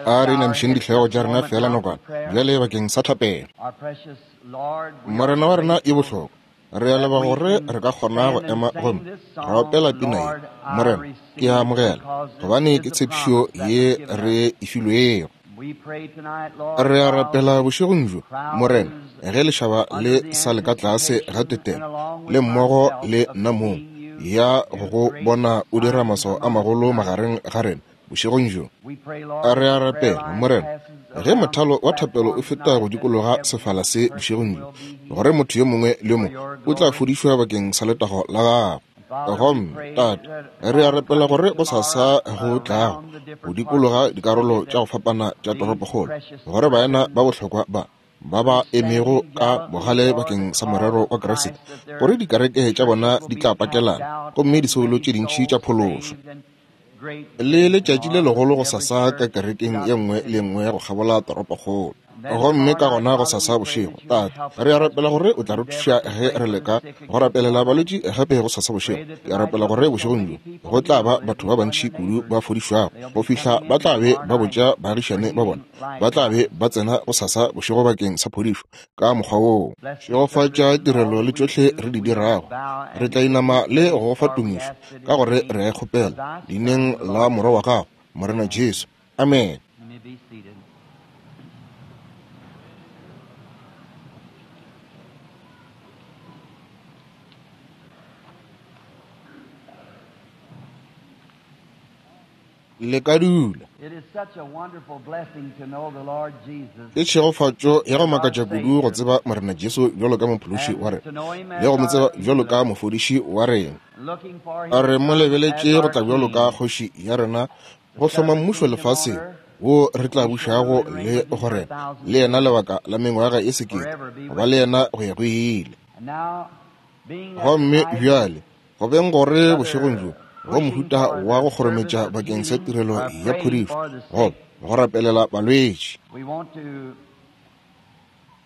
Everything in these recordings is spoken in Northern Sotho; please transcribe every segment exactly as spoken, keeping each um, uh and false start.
A re inamišeng dihlogo tša rena feela nakwana bjale bakeng sa thapelo. Morena wa rena e bohlokwa, re a leboga gore re ka kgona go ema gomme ra opela pina ye, Morena, ke a amogela, gobane ke tshepišo ye re e filwego. Re a rapela bošegong bjo, Morena, ge lešaba le sa le ka tlase ga tetelo, le mmogo le nna mong, ya go go bona o dira maswao a magolo magareng ga rena bošegong bjo. Re a rapela, Morena, ge mothalo wa thapelo o feta go dikologa sefala se bošegong bjo, gore motho yo mongwe le yo mongwe o tla fodišwa bakeng sa letago la gago. Gomme Tate, re a rapela gore gosasa go tlago go dikologa dikarolo tša go fapana tša toropokgolo, gore baena ba bohlokwa ba ba ba emego ka bogale bakeng sa morero wa Kriste, gore dikereke tša bona di tla pakelana gomme disoulo tše dintši tša phološwa. Le letšatši le legolo gosasa ka kerekeng ye nngwe le nngwe go kgabola toropokgolo. Gomme ka gona gosasa bošego, Tate, re a rapela gore o tla re thuša ge re leka go rapelela balwetši gape gosasa bošego. Ke a rapela gore bošegong bjo go tla ba batho ba bantši kudu ba fodišwago go fihla ba tla be ba botša baagišane ba bona, ba tla be ba tsena gosasa bošego bakeng sa phodišo ka mokgwa woo. Šegofatša tirelo le tšohle re di dirago. Re tla inama le go go fa tumišo ka gore re a e kgopela leineng la Morwa wa gago, Morena Jesu. Amen. Le ka dula. Ke tšhegofatšo ya go makatša kudu go tseba Morena Jesu bjalo ka mophološi wa rena le go mo tseba bjalo ka mofodiši wa rena. A re mo lebeletše go tla bjalo ka kgoši ya rena go hloma mmušo lefaseng wo re tla bušago le go rena le yena lebaka la mengwaga e sekete, go ba le yena go ya go ile. Gomme bjale go beng gore bošegong bjo go mohuta wa go kgorometša bakeng sa tirelo ya phodišo goba go rapelela balwetši,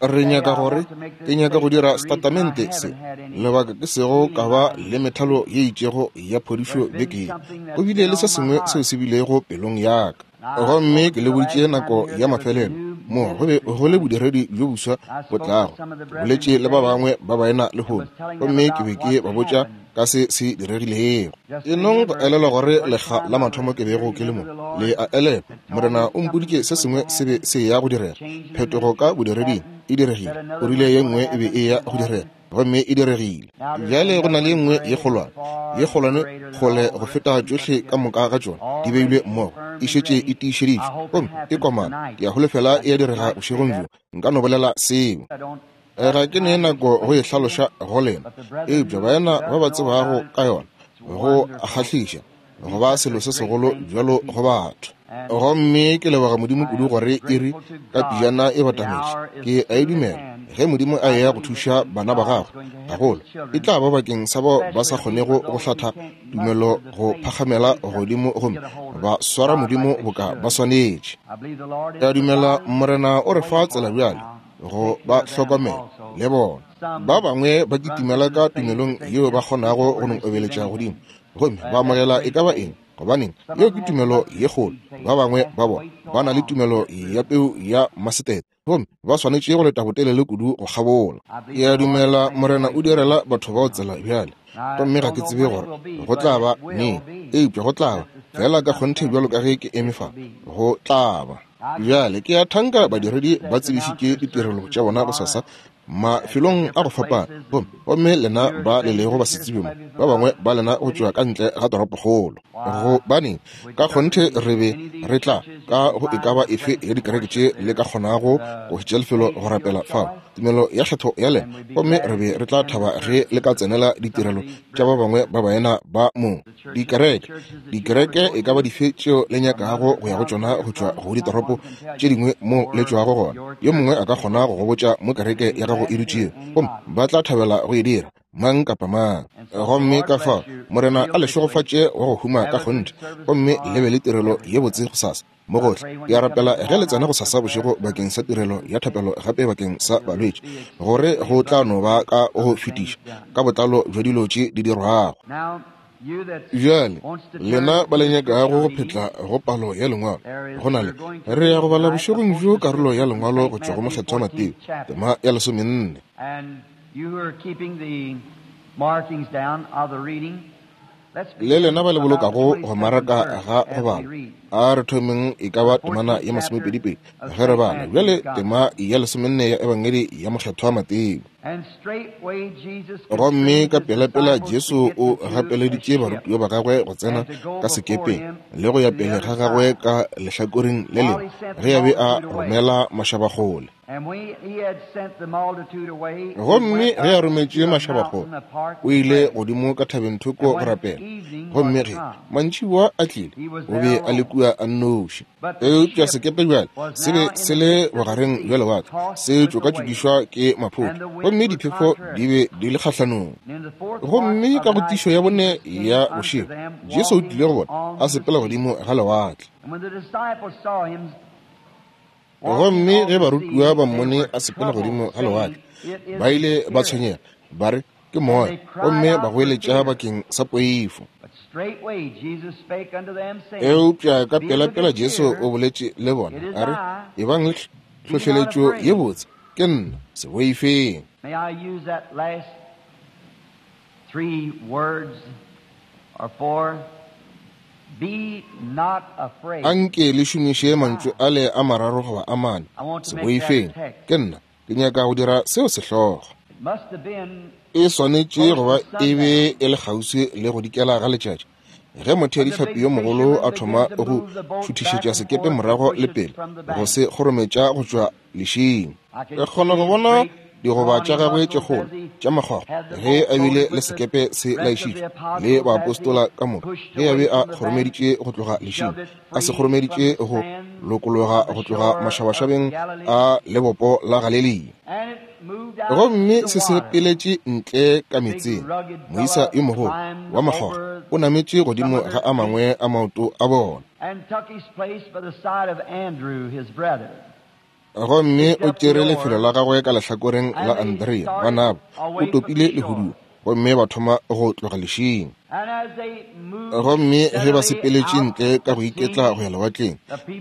re nyaka gore ke nyaka go dira setatamente se lebaka ke sego ka ba le methalo ye itšego ya phodišo beke ye. Go bile le se sengwe seo se bilego pelong ya ka, gomme ke le boditše nako ya mafelelo mo go be go le bodiredi bjo boswa bo tlago. Ke boletše le ba bangwe ba baena lehono, gomme ke be ke ba botša ka se se diregilego. E nong go elelwa gore lekga la mathomo ke bego ke le mo, le a elelwa, Morena o mpoditše se sengwe se be se ya go direga. Phetogo ka bodireding e diregile. O rile ye nngwe e be e ya go direga, gomme e diregile. Bjale go na le ye nngwe ye kgolwane, ye kgolwane kgole go feta tšohle ka moka ga tšona di beilwe mmogo, e šetše e tiišeditšwe gomme e komana. Ke a holofela e a direga bošegong bjo. Nka no bolela seo. Ga ke ne nako go e hlaloša go lena, eupša baena ba ba tsebago ka yona go a kgahliša go ba selo se segolo bjalo go batho. Gomme ke leboga Modimo kudu gore iri ka pijana e batametše. Ke a e dumela ge Modimo a eya go thuša bana ba gagwe gagolo, e tla ba bakeng sa bao ba sa kgonego go hlatha tumelo go phagamela godimo gomme ba swara Modimo boka ba swanetše. Ke a dumela Morena o re fa tsela bjale go ba hlokomela le bona. Ba bangwe ba kitimela ka tumelong yeo ba kgonago go no obeletša godimo gomme ba amogela e ka ba eng, gobaneng yeo ke tumelo ye kgolo. Ba bangwe ba bona ba na le tumelo ya peu ya masetete gomme ba swanetše go leta botelele kudu go kgabola. Ke a dumela Morena o direla batho bao tsela bjale, gomme ga ke tsebe gore go tla ba neng, eupša go tla ba fela ka kgonthe bjalo ka ge ke eme fa, go tla ba. Bjale ke a thanka badiredi ba tsebišitše ditirelo tša bona gosasa mafelong a go fapana, gomme gomme lena ba le lego ba se tsebe mo, ba bangwe ba lena go tšwa ka ntle ga toropokgolo. Gobaneng ka kgonthe re be re tla ka go e ka ba efe ya dikereke tše le ka kgonago go hwetša lefelo go rapela fao tumelo ya kgetho ya lena, gomme re be re tla thaba ge le ka tsenela ditirelo tša ba bangwe ba baena ba mo dikereke. Dikereke e ka ba dife tšeo le nyakago go ya go tšona go tšwa go ditoropo tše dingwe mo le tšwago gona, yo mongwe a ka kgona go go botša mo kereke ya gago e dutšego, gomme ba tla thabela go e dira mang kapa mang. Gomme ka fao Morena a le šegofatše wa go huma ka kgonthe, gomme le be le tirelo ye botse gosasa mo gohle. Ke a rapela ge le tsena gosasa bošego bakeng sa tirelo ya thapelo gape bakeng sa balwetši, gore go tla no ba ka go fetiša ka botlalo bja dilo tše di dirwago. Bjale lena ba le nyakago go phetla go palo ya lengwalo, go na le re ya go bala bošegong bjo karolo ya lengwalo go tšwa go Mokgethwa Mateo, tema ya lesomenne. Le lena ba le bolokago go maraka ga go bala, a re thomeng e ka ba temana ya masomepedipedi ge re bala bjale tema ya lesomenne ya Ebangedi ya Mokgethwa Mateo. Gomme ka pelapela Jesu o gapeleditše barutiwa ba gagwe go tsena ka sekepeng le go ya pele ga gagwe ka lehlakoreng le lengwe ge a be a romela mašabakgole. Gomme ge a rometše mašabakgole, o ile godimo ka thabeng thoko go rapela. Gomme ge mantšiboa a tlile, o be a le kua a nnoši. Eupša sekepe bjale se be se le bogareng bja lewatle, se tšokatšokišwa ke maphoto, gomme diphefo di be di le kgahlanong. Gomme ka go tišo ya bone ya bošego, Jesu o tlile go bona a sepela godimo ga lewatle. Gomme ge barutiwa ba mmone a sepela godimo ga lewatle, ba ile ba tshwenyega, ba re ke moya, gomme ba goeletša bakeng sa poifo. Eupša ka pelapela Jesu o boletše le bona a re, ebang le hlohleletšo ye botse, ke nna, se boifeng. Anke le šomiše mantšu ale a mararo goba a mane, se boifeng, ke nna, ke nyaka go dira seo sehlogo. E swanetše go ba e be e le kgauswi le go dikela ga letšatši ge motheadihlapi yo mogolo a thoma go šuthišetša sekepe morago le pele go se kgorometša go tšwa lešing. Re kgona go bona digoba tša gagwe tše kgolo tša makgwakgwa ge a bile le sekepe se laišitšwe le baapostola ka moka, ge a be a kgoromeditše go tloga lešing, a se kgoromeditše go lokologa go tloga mašabašabeng a lebopo la Galilea. Gomme se sepeletše ntle ka metseng, moisa yo mogolo wa makgwakgwa o nametše godimo ga a mangwe a maoto a bona. Gomme o tšere lefelo la gagwe ka lehlakoreng la Andrea ngwanabo, o topile lehuduo, gomme ba thoma go tloga lešing. Gomme ge ba sepeletše ntle ka go iketla go ya lewatleng,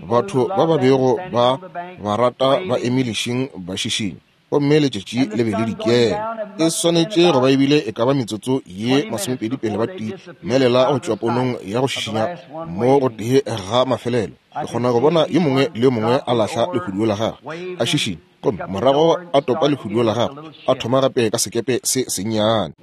batho ba ba bego ba ba rata ba eme lešing ba šišinya, gomme letšatši le be le dikela. E swanetše go ba ebile e ka ba metsotso ye masomepedi pele ba timelela go tšwa ponong ya go šišinya mo go tee ga mafelelo. Ke kgona go bona yo mongwe le yo mongwe a lahla lehuduo la gagwe a šišinya, gomme morago a topa lehuduo la gagwe a thoma gape ka sekepe se sennyane.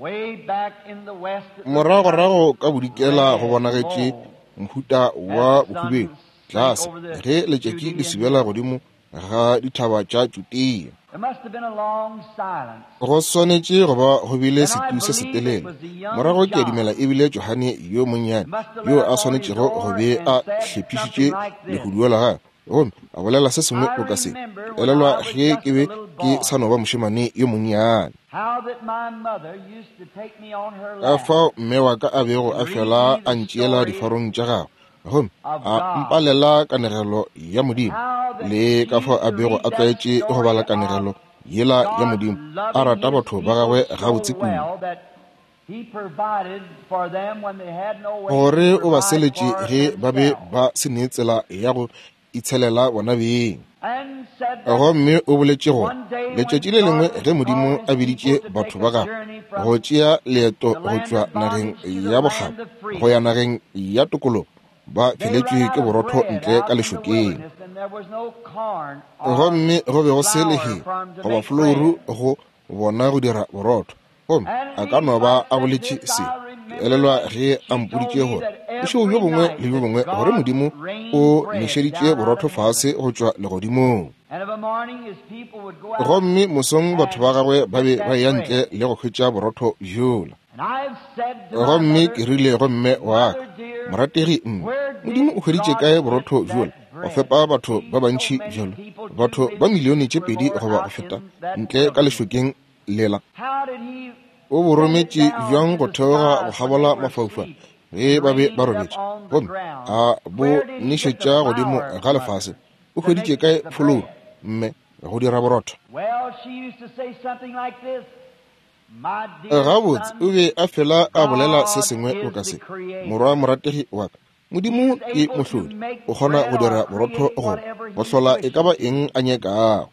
Moragorago ka bodikela go bonagetše mohuta wa bohubedu tlase ge letšatši le subela godimo ga dithaba tša Judea. Go swanetše go ba go bile setu se setelele. Morago ke a dumela ebile Johane yo monnyane yo a swanetšego go be a hlephišitše lehuduo la gagwe, gomme a bolela se sengwe boka se. Ke elelwa ge ke be ke sa no ba mošemane yo monnyane, ka fao mme wa ka a bego a fela a ntšeela difarong tša gagwe, gomme a mpalela kanegelo ya Modimo, le ka fao a bego a tlwaetše go bala kanegelo yela ya Modimo, a rata batho ba gagwe gabotse kudu, gore o ba seletše ge ba be ba se ne tsela ya go itshelela bona beng. Gomme o boletše gore letšatši le lengwe ge Modimo a biditše batho ba gagwe go tšea leeto go tšwa nageng ya bokgabo go ya nageng ya tokologo, ba feletšwe ke borotho ntle ka lešokeng. Gomme go be go se lehea goba folouru go bona go dira borotho. Gomme a ka no ba a boletše se. Ke elelwa ge a mpoditše gore bošego bjo bongwe le bjo bongwe gore Modimo o nešeditše borotho fase go tšwa legodimong. Gomme mosong batho ba gagwe ba be ba eya ntle le go hwetša borotho bjola. Gomme ke rile go mme wa ka, morategi mme, Modimo o hweditše kae borotho bjola go fepa batho ba bantši bjalo, batho ba milione tše pedi goba go feta ntle ka lešokeng lela? O bo rometše bjang go theoga go kgabola mafaufau ge ba be ba robetše, gomme a bo nešetša godimo ga lefase? O hweditše kae folouru, mme, go dira borotho? Gabotse o be a fela a bolela se sengwe boka se, morwa morategi wa ka, Modimo ke mohlodi, o kgona go dira borotho goba go hlola e ka ba eng a nyakago.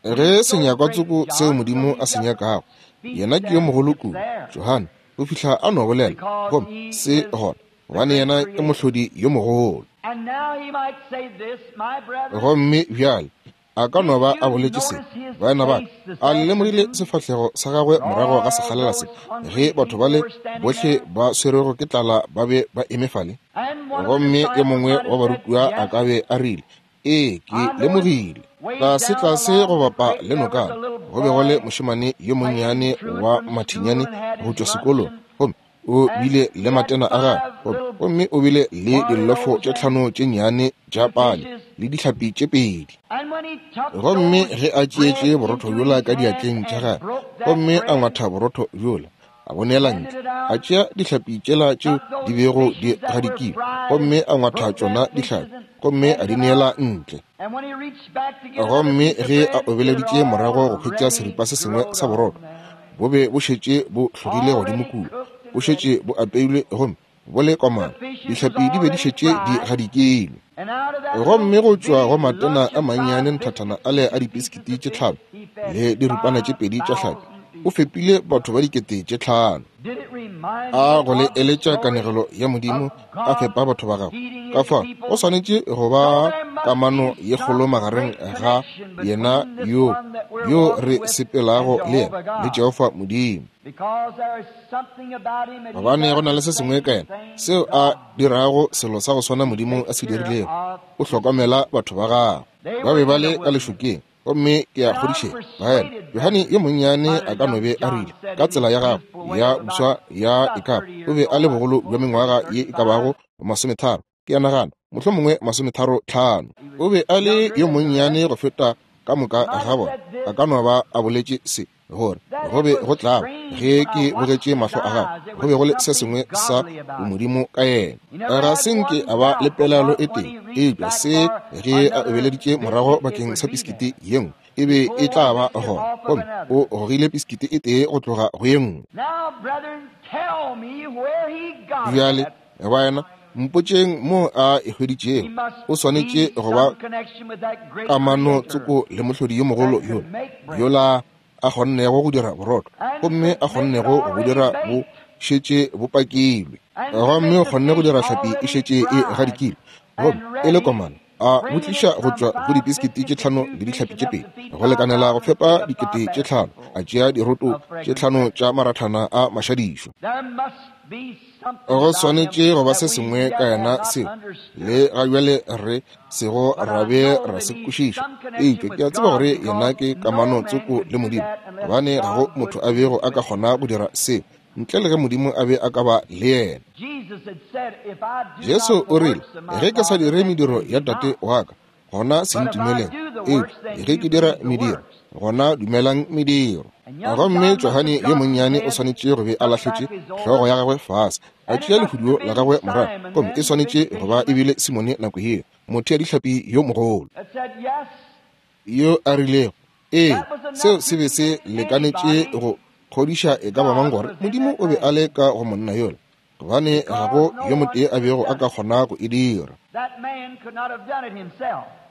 Ge senyakwatsoko seo Modimo a se nyakago, yena ke yo mogolo kudu, Johane, o fihla a no bolela, gomme se gona, gobane yena ke mohlodi yo mogolo. Gomme bjale a ka no ba a boletše se, baena ba ka, a le lemogile sefahlego sa gagwe morago ga sekgalela se, ge batho bale bohle ba swerwego ke tlala ba be ba eme fale? Gomme yo mongwe wa barutiwa a ka be a rile, ee, ke lemogile. Tlase tlase go bapa le nokana go be go le mošemane yo monnyane wa mathinyane go tšwa sekolong, gomme o bile le matena a gagwe, gomme o bile le dillofo tše tlhano tše nnyane tša pale le dihlapi tše pedi. Gomme ge a tšeetše borotho bjola ka diatleng tša gagwe, gomme a ngwatha borotho bjola, a bo neela ntle, a tšea dihlapi tšela tšeo di bego di gadikilwe, gomme a ngwatha tšona dihlapi, gomme a di neela ntle. Gomme ge a obeleditše morago go hwetša seripa se sengwe sa borotho, bo be bo šetše bo hlogile godimo kua, bo šetše bo apeilwe gomme bo le komana, dihlapi di be di šetše di gadikilwe. Gomme go tšwa go matena a mannyane nthathana ale a dipisikiti tše tlhano le diripana tše pedi tša hlapi, o fepile batho ba dikete tše tlhano. A go le eletša kanegelo ya Modimo a fepa batho ba gagwe. Ka fao go swanetše go ba kamano ye kgolo magareng ga yena yo yo re sepelago le yena le Jehofa Modimo. Gobane go na le se sengwe ka yena seo a dirago selo sa go swana Modimo a se dirilego, o hlokomela batho ba gagwe. Ba be ba le ka lešokeng, gomme ke a kgodišega baena, Johane yo monnyane a ka no be a rile ka tsela ya gagwe ya boswa ya e kaba, o be a le bogolo bja mengwaga ye e ka bago masometharo, ke a nagana mohlomongwe masometharo tlhano. O be a le yo monnyane go feta ka moka ga bona. A ka no ba a boletše se, gore go be go tlaba ge ke bogetše mahlo a gagwe, go be go le se sengwe sa bomodimo ka yena. Ga se nke a ba le pelaelo e tee, eupša se ge a obeleditše morago bakeng sa pisikiti ye nngwe, e be e tla ba gona, gomme o gogile pisikiti e tee go tloga go ye nngwe. Bjale baena, mpotšeng mo a e hweditšego. O swanetše go ba kamano tsoko le mohlodi yo mogolo yola, yola a kgonnego go dira borotho, gomme a kgonnego go bo dira bo šetše bo pakilwe, gomme o kgonne go dira hlapi e šetše e gadikilwe, gomme e le komana, a bo tliša go tšwa go dipisikiti tše tlhano le dihlapi tše pedi, go lekanela go fepa dikete tše tlhano, a tšea diroto tše tlhano tša marathana a mašadišo. Go swanetše go ba se sengwe ka yena seo le ga bjale re sego ra be ra se kwešiša, eupša ke a tseba gore yena ke kamano tsoko le Modimo, gobane ga go motho a bego a ka kgona go dira seo ntle le ge Modimo a be a ka ba le yena. Jesu o rile, ge ke sa dire mediro ya Tate wa ka, gona se ntumeleng, eupša ge ke dira mediro, gona dumelang mediro. Gomme Johane yo monnyane o swanetše go be a lahletše hlogo ya gagwe fase, a tšea lehuduo la gagwe morago, gomme e swanetše go ba e bile Simone nako yeo, motho ya dihlapi yo mogolo, yo a rilego, ee, seo se be se lekanetše go kgodiša e ka ba mang gore Modimo o be a le ka go monna yola, gobane ga go yo motee a bego a ka kgona go e dira.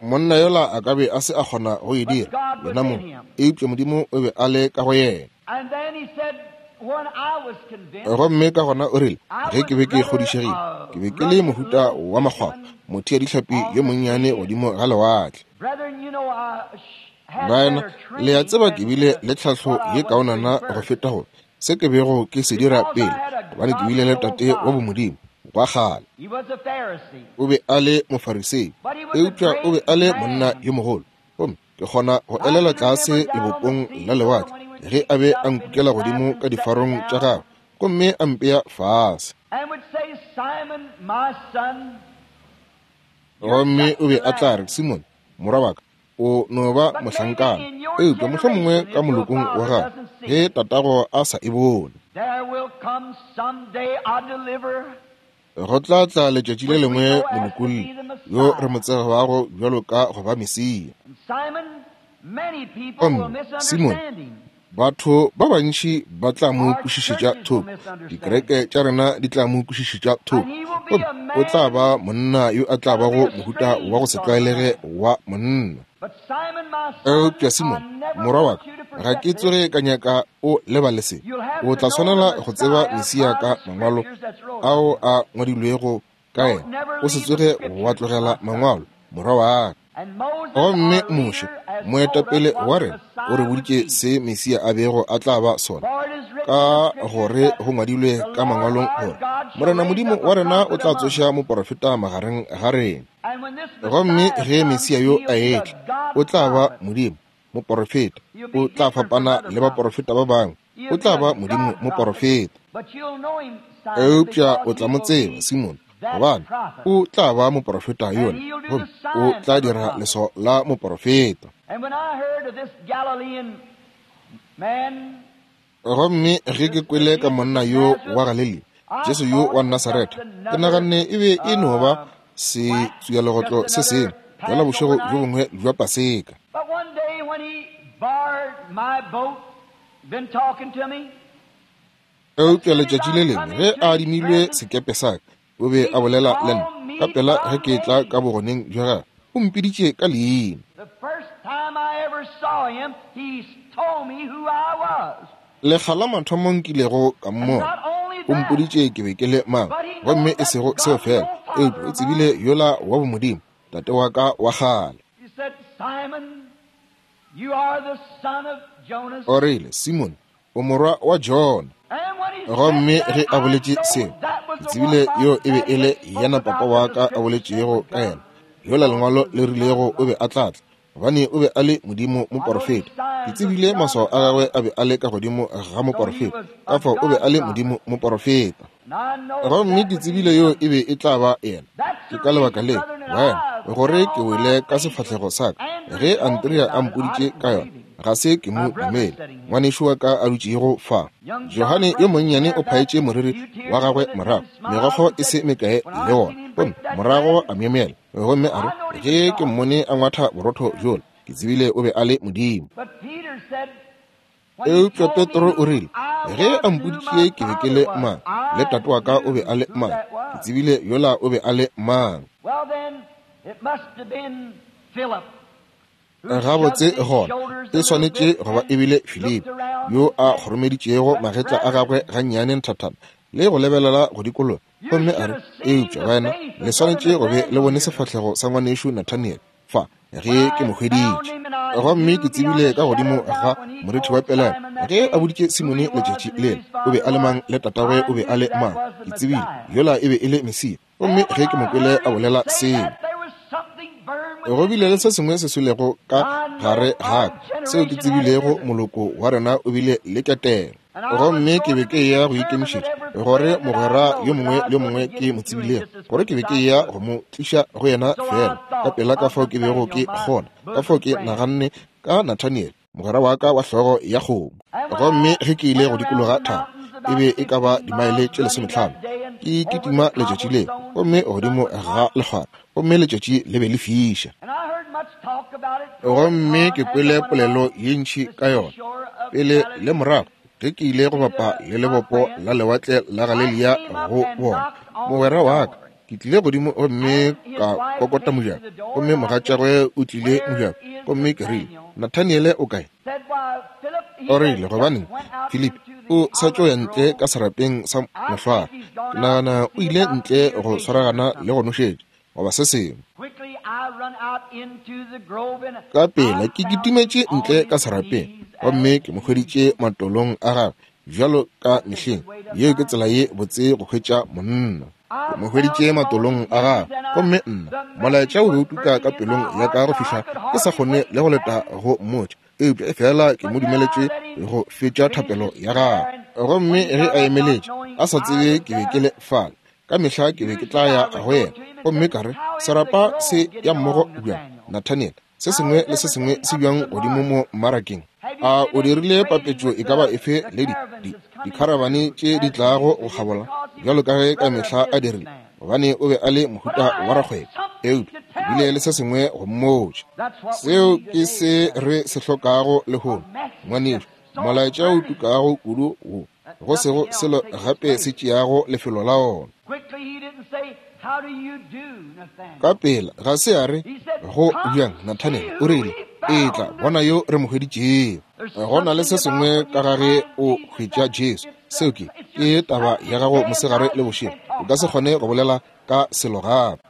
Monna yola a ka be a se a kgona go e dira yena mong, eupša Modimo o be a le ka go yena. Gomme ka gona o rile, ge ke be ke kgodišegile, ke be ke le mohuta wa makgwakgwa, motho ya dihlapi yo monnyane godimo ga lewatle. Baena, le a tseba ke bile le tlhahlo ye kaonana go feta go se ke bego ke se dira pele, gobane ke bile le tate wa bomodimo wa kgale. O be a le Mofarisei, eupša o be a le monna yo mogolo, gomme ke kgona go elela tlase lebopong la lewatle ge a be a nkukela godimo ka difarong tša gagwe gomme a mpea fase. Gomme o be a tla re, Simone, morwa wa ka, o no ba mohlankana, eupša mohlomongwe ka molokong wa gago ge tatago a sa e bone. Go tla tla letšatši le lengwe molokolli yo re mo tsebago bjalo ka go ba Mesia. Gomme Simone, batho ba bantši ba tla mo kwešišetša thoko, dikereke tša rena di tla mo kwešišetša thoko, gomme o tla ba monna yo a tla bago mohuta wa go se tlwaelege wa monna. Eupša Simone, morwa wa ka, ga ke tsoge ka nyaka o lebale se. O tla swanela go tseba Mesia ka mangwalo ao a ngwadilwego ka yena. O se tsoge wa tlogela mangwalo, morwa wa ka. Gomme Moshe, moetapele wa rena, o re boditše se Mesia a bego a tla ba sona, ka gore go ngwadilwe ka mangwalong gore Morena Modimo wa rena o tla tsoša moporofeta magareng ga rena. Gomme ge Mesia yo a etla, o tla ba Modimo moporofeta, o tla fapana le baporofeta ba bangwe, o tla ba Modimo moporofeta. Eupša o tla mo tseba, Simone, gobane o tla ba moporofeta yola, gomme o tla dira leswao la moporofeta. Gomme ge ke kwele ka monna yo wa Galilea, Jesu yo wa Nasaretha, ke naganne e be e no ba setswialegotlo se sengwe bjala bošego bjo bongwe bja Paseka. Eupša letšatši le lengwe ge a adimilwe sekepe sa ka, o be a bolela le nna ka pela ge ke tla ka bogoneng bja gagwe, o mpiditše ka leina. Lekga la mathomo nkilego ka mmona, o mpoditše ke be ke le mang, gomme e sego seo fela, eupša o tsebile yola wa bomodimo, tate wa ka wa kgale. O rile, Simone, o morwa wa Jona. Gomme ge a boletše seo, ke tsebile yo e be e le yena papa wa ka a boletšego ka yena, yola lengwalo le rilego o be a tla tla, gobane o be a le Modimo moporofeta. Ke tsebile maswao a gagwe a be a le ka godimo ga moporofeta, ka fao o be a le Modimo moporofeta. Gomme ke tsebile yo e be e tla ba yena. Ke ka lebaka le, wena, gore ke wele ka sefahlego sa ka ge Andrea a mpoditše ka yona, ga se ke mo dumele. Ngwanešu wa ka a dutšego fa, Johane yo monnyane, o phaetše moriri wa gagwe morago, megokgo e se mekae le wona, gomme morago a myemyela, gomme a re, ge ke mmone a ngwatha borotho bjola, ke tsebile o be a le Modimo. Eupša Petro o rile, ge a mpoditše ke be ke le mang, le tate wa ka o be a le mang, ke tsebile yola o be a le mang. Gabotse gona e swanetše go ba e bile Filipi yo a kgoromeditšego magetla a gagwe gannyane nthathana le go lebelela go dikologa, gomme a re, eupša wena le swanetše go be le bone sefahlego sa ngwanešu Nathaniel fa ge ke mo hweditše. Gomme ke tsebile ka godimo ga morithi wa pelelo ge a boditše Simone letšatši lela o be a le mang le tatagwe o be a le mang, ke tsebile yola e be e le Mesia. Gomme ge ke mo kwele a bolela seo, go bile le se sengwe se swelego ka gare ga ka seo ke tsebilego moloko wa rena o bile le ketelo. Gomme ke be ke ya go ikemišetša gore mogwera yo mongwe le yo mongwe ke mo tsebilego, gore ke be ke ya go mo tliša go yena fela ka pela ka fao ke bego ke kgona, ka fao ke naganne ka Nathaniel, mogwera wa ka wa hlogo ya kgomo. Gomme ge ke ile go dikologa thaba, e be e ka ba dimaele tše lesometlhano, ke kitima letšatši leo, gomme godimo ga lekgwara, gomme letšatši le be le fiša. Gomme ke kwele polelo ye ntši ka yona pele le morago ge ke ile go bapa le lebopo la lewatle la Galilea go bona mogwera wa ka. Ke tlile godimo gomme ka kokota mojako, gomme mogatšagwe o tlile mojako, gomme ke rile, Nathaniele o kae? O rile, gobaneng, Filipi o sa tšo ya ntle ka serapeng sa mohlware. Ke nagana o ile ntle go swaragana le go nošetša goba se sengwe. Ka pela ke kitimetše ntle ka serapeng, gomme ke mo hweditše matolong a gagwe bjalo ka mehleng. Yeo ke tsela ye botse go hwetša monna. Ke mo hweditše matolong a gagwe, gomme nna molaetša o be o tuka ka pelong ya ka go fihla ke sa kgone le go leta go mmotša, eupša e fela ke mo dumeletše go fetša thapelo ya gagwe. Gomme ge a emeletše a sa tsebe ke be ke le fale, ka mehla ke be ke tla ya go yena, gomme ka re, serapa se ya mmogo bjang, Nathaniel? Se sengwe le se sengwe se bjang godimo mo mmarakeng? A o dirile papetšo e ka ba efe le di, di, dikharabane tše di tlago go kgabola, bjalo ka ge ka mehla a dirile, gobane o be a le mohuta wa rakgwebo. Eupša ke bile le se sengwe go mmotša. Seo ke se re se hlokago lehono, ngwanešu, molaetša o tukago kudu wo go sego selo gape se tšeago lefelo la ona. Ka pela ga se a re go bjang Nathaniel, o rile, etla bona yo re mo hweditšego. Go na le se sengwe ka ga ge o hwetša Jesu. Seo ke ke taba ya gago mosegare le bošego. O ka se kgone go bolela ka selo gape.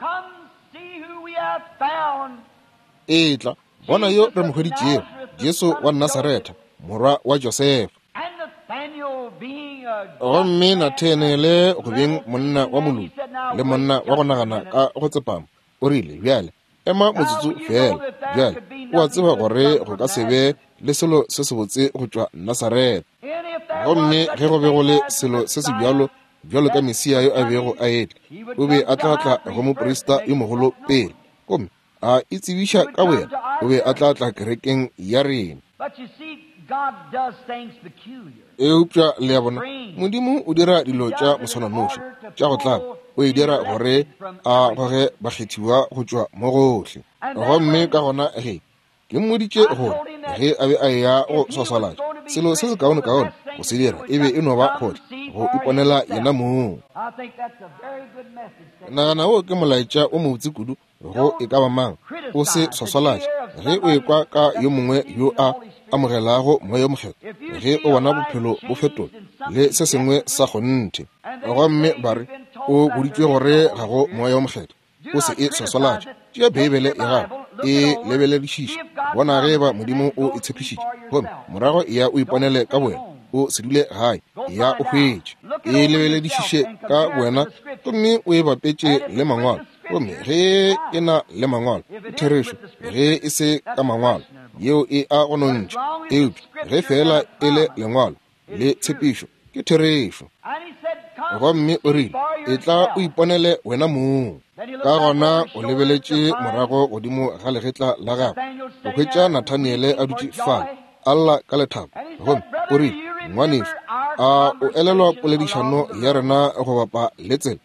Etla bona yo re mo hweditšego, Jesu wa Nasaretha, morwa wa Josefa. Gomme Nathaniele go beng monna wa moloki le monna wa go nagana ka go tsepama, o rile, bjale ema motsotso fela. Bjale o a tseba gore go ka se be le selo se sebotse go tšwa Nasaretha. Gomme ge go be go le selo se se bjalo bjalo ka Mesia yo a bego a etla, o be a tla tla go moprista yo mogolo pele, gomme a itsebiša ka boyena, o be a tla tla kerekeng ya rena. Eupša le a bona, Modimo o dira dilo tša moswananoši tša go tlaba, o e dira gore a goge bakgethiwa go tšwa mo gohle. Gomme ka gona ge ke mmoditše gore ge a be a eya go swaswalatša, selo se sekaonekaone go se dira e be e no ba go go iponela yena mong. Nagana wo ke molaetša o mobotse kudu go e ka ba mang. O se swaswalatše ge o ekwa ka yo mongwe yo a amogelago moya o mokgethwa, ge o bona bophelo bo fetola le se sengwe sa kgonthe. Gomme ba re o boditšwe gore ga go moya o mokgethwa, o se e swaswalatše. Tšea Beibele ya gago, e lebeledišiše, bona ge eba Modimo o e tshepišitše, gomme morago ya o iponele ka bowena. O se dule gae, ya o hwetše. E lebeledišiše ka bowena gomme o e bapetše le mangwalo. Gomme ge e na le mangwalo, ke therešo. Ge e se ka mangwalo, yeo e a go nontšha. Eupša ge fela e le lengwalo le tshepišo, ke therešo. Gomme o rile, etla o iponele wena mong. Ka gona o lebeletše morago godimo ga legetla la gagwe, go hwetša Nathaniele a dutše fale a lla ka lethabo. Gomme o rile, ngwanešu, a o elelwa poledišano ya rena go bapa le tsela?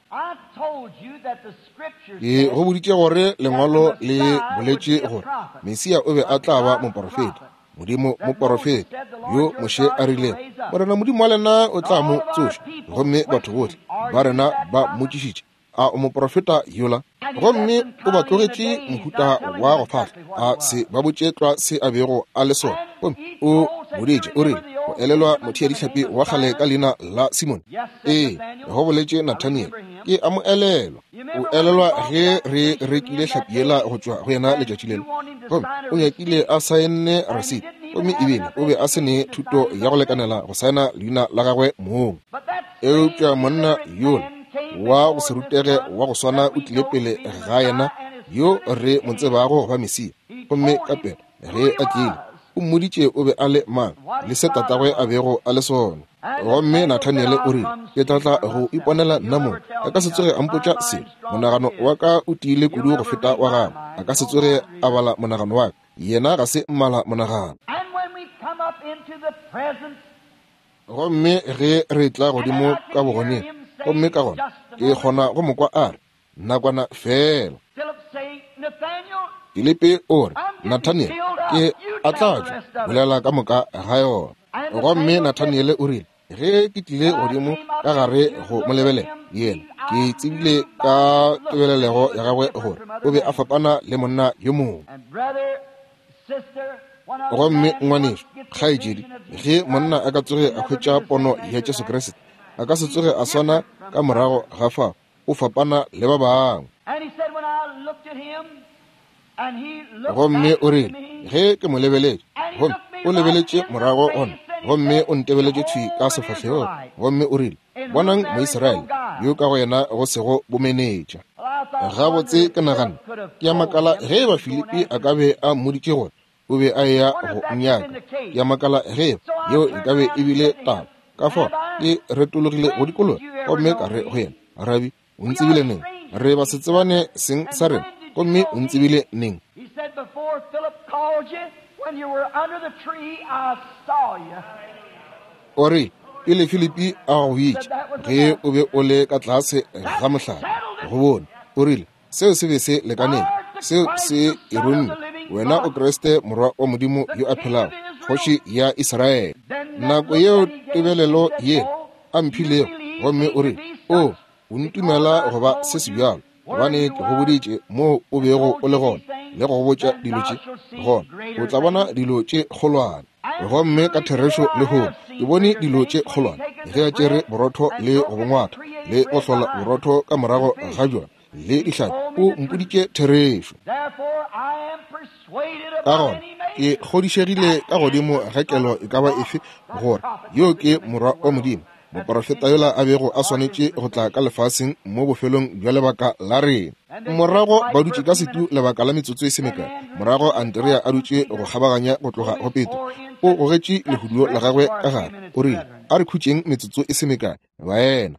Ke go boditše gore lengwalo le boletše gore Mesia o be a tla ba moporofeta, Modimo moporofeta yo Moshe a rilego, Morena Modimo wa lena o tla mo tsoša. Gomme batho bohle ba rena ba mmotšišitše, a o moporofeta yola? Gomme o ba tlogetše mohuta wa go fahla, a se ba botše tlwa se a bego a le sona. Gomme o boditše, o rile, go elelwa motheadihlapi wa kgale ka leina la Simone? Ee, go boletše Nathaniel, ke a mo elelwa. O elelwa ge re rekile hlapi yela go tšwa go yena letšatši lelo? Gomme o nyakile a saenne receipt, gomme ebile o be a se ne thuto ya go lekanela go saena leina la gagwe mong. Eupša monna yola wa go se rutege wa go swana o tlile pele ga yena yo re mo tsebago go ba Mesia. Gomme ka pela ge a tlile, o mmoditše o be a le mang le se tatagwe a bego a le sona. Gomme Nathaniele o rile, ke tla tla go iponela nna mong. A ka se tsoge a mpotša selo. Monagano wa ka o tiile kudu go feta wa gagwe. A ka se tsoge a bala monagano wa ka. Yena ga se mmala monagano. Gomme ge re tla godimo ka bogoneng, gomme ka gona ke kgona go mo kwa a re, nakwana fela. Filipi o re, Nathaniel, ke a tla tšwa, bolela ka moka ga yona. Gomme Nathaniele o rile, ge ke tlile godimo ka gare go mo lebelela yena, ke tsebile ka tebelelego ya gagwe gore o be a fapana le monna yo mongwe. Gomme ngwanešu, kgaetšedi, ge monna a ka tsoge a hwetša pono ya Jesu Kriste, a ka se tsoge a swana ka morago ga fao, o fapana le ba bangwe. Gomme o rile, ge ke mo lebeletše, gomme o lebeletše morago gona, gomme o ntebeletše thwi ka sefahlegong, gomme o rile, bonang Moisraele yo ka go yena go sego bomenetša. Gabotse ke nagana, ke a makala ge eba Filipi a ka be a mmoditše gore o be a eya go nyaka. Ke a makala ge eba yeo e ka be e bile taba. Ka fao ke retologile go dikologa gomme ka re go yena, Rabi, o ntsebile neng? Re ba se tsebane seng sa rena, gomme o ntsebile neng? O re, pele Filipi a go bitša, ge o be o le ka tlase ga mohlare, go bone. O rile, seo se be se lekaneng, Seo se e rumme, wena o Kriste morwa wa Modimo yo a phelago, kgoši ya Israele. Nako yeo tebelelo ye a mphilego, gomme o re, o, o ntumela go ba se sebjalo, gobane ke go boditše moo o bego o le gona, le go botša dilo tše, gona o tla bona dilo tše kgolwane. Gomme ka therešo lehono ke bone dilo tše kgolwane, ge a tšere borotho le go bongwatha le go hlola borotho ka morago ga bjona le dihlapi, o mpoditše therešo. Ka gona ke kgodišegile ka godimo ga kelo e ka ba efe gore yo ke morwa wa Modimo, moprofeta yola a bego a swanetše go tla ka lefaseng mo bofelong bja lebaka la rena. Morago ba dutše ka setu lebaka la metsotso e se mekae. Morago Andrea a dutše go kgabaganya go tloga go Petro, o gogetše lehuduo la gagwe ka gare, o rile, a re khutšeng metsotso e se mekae, baena.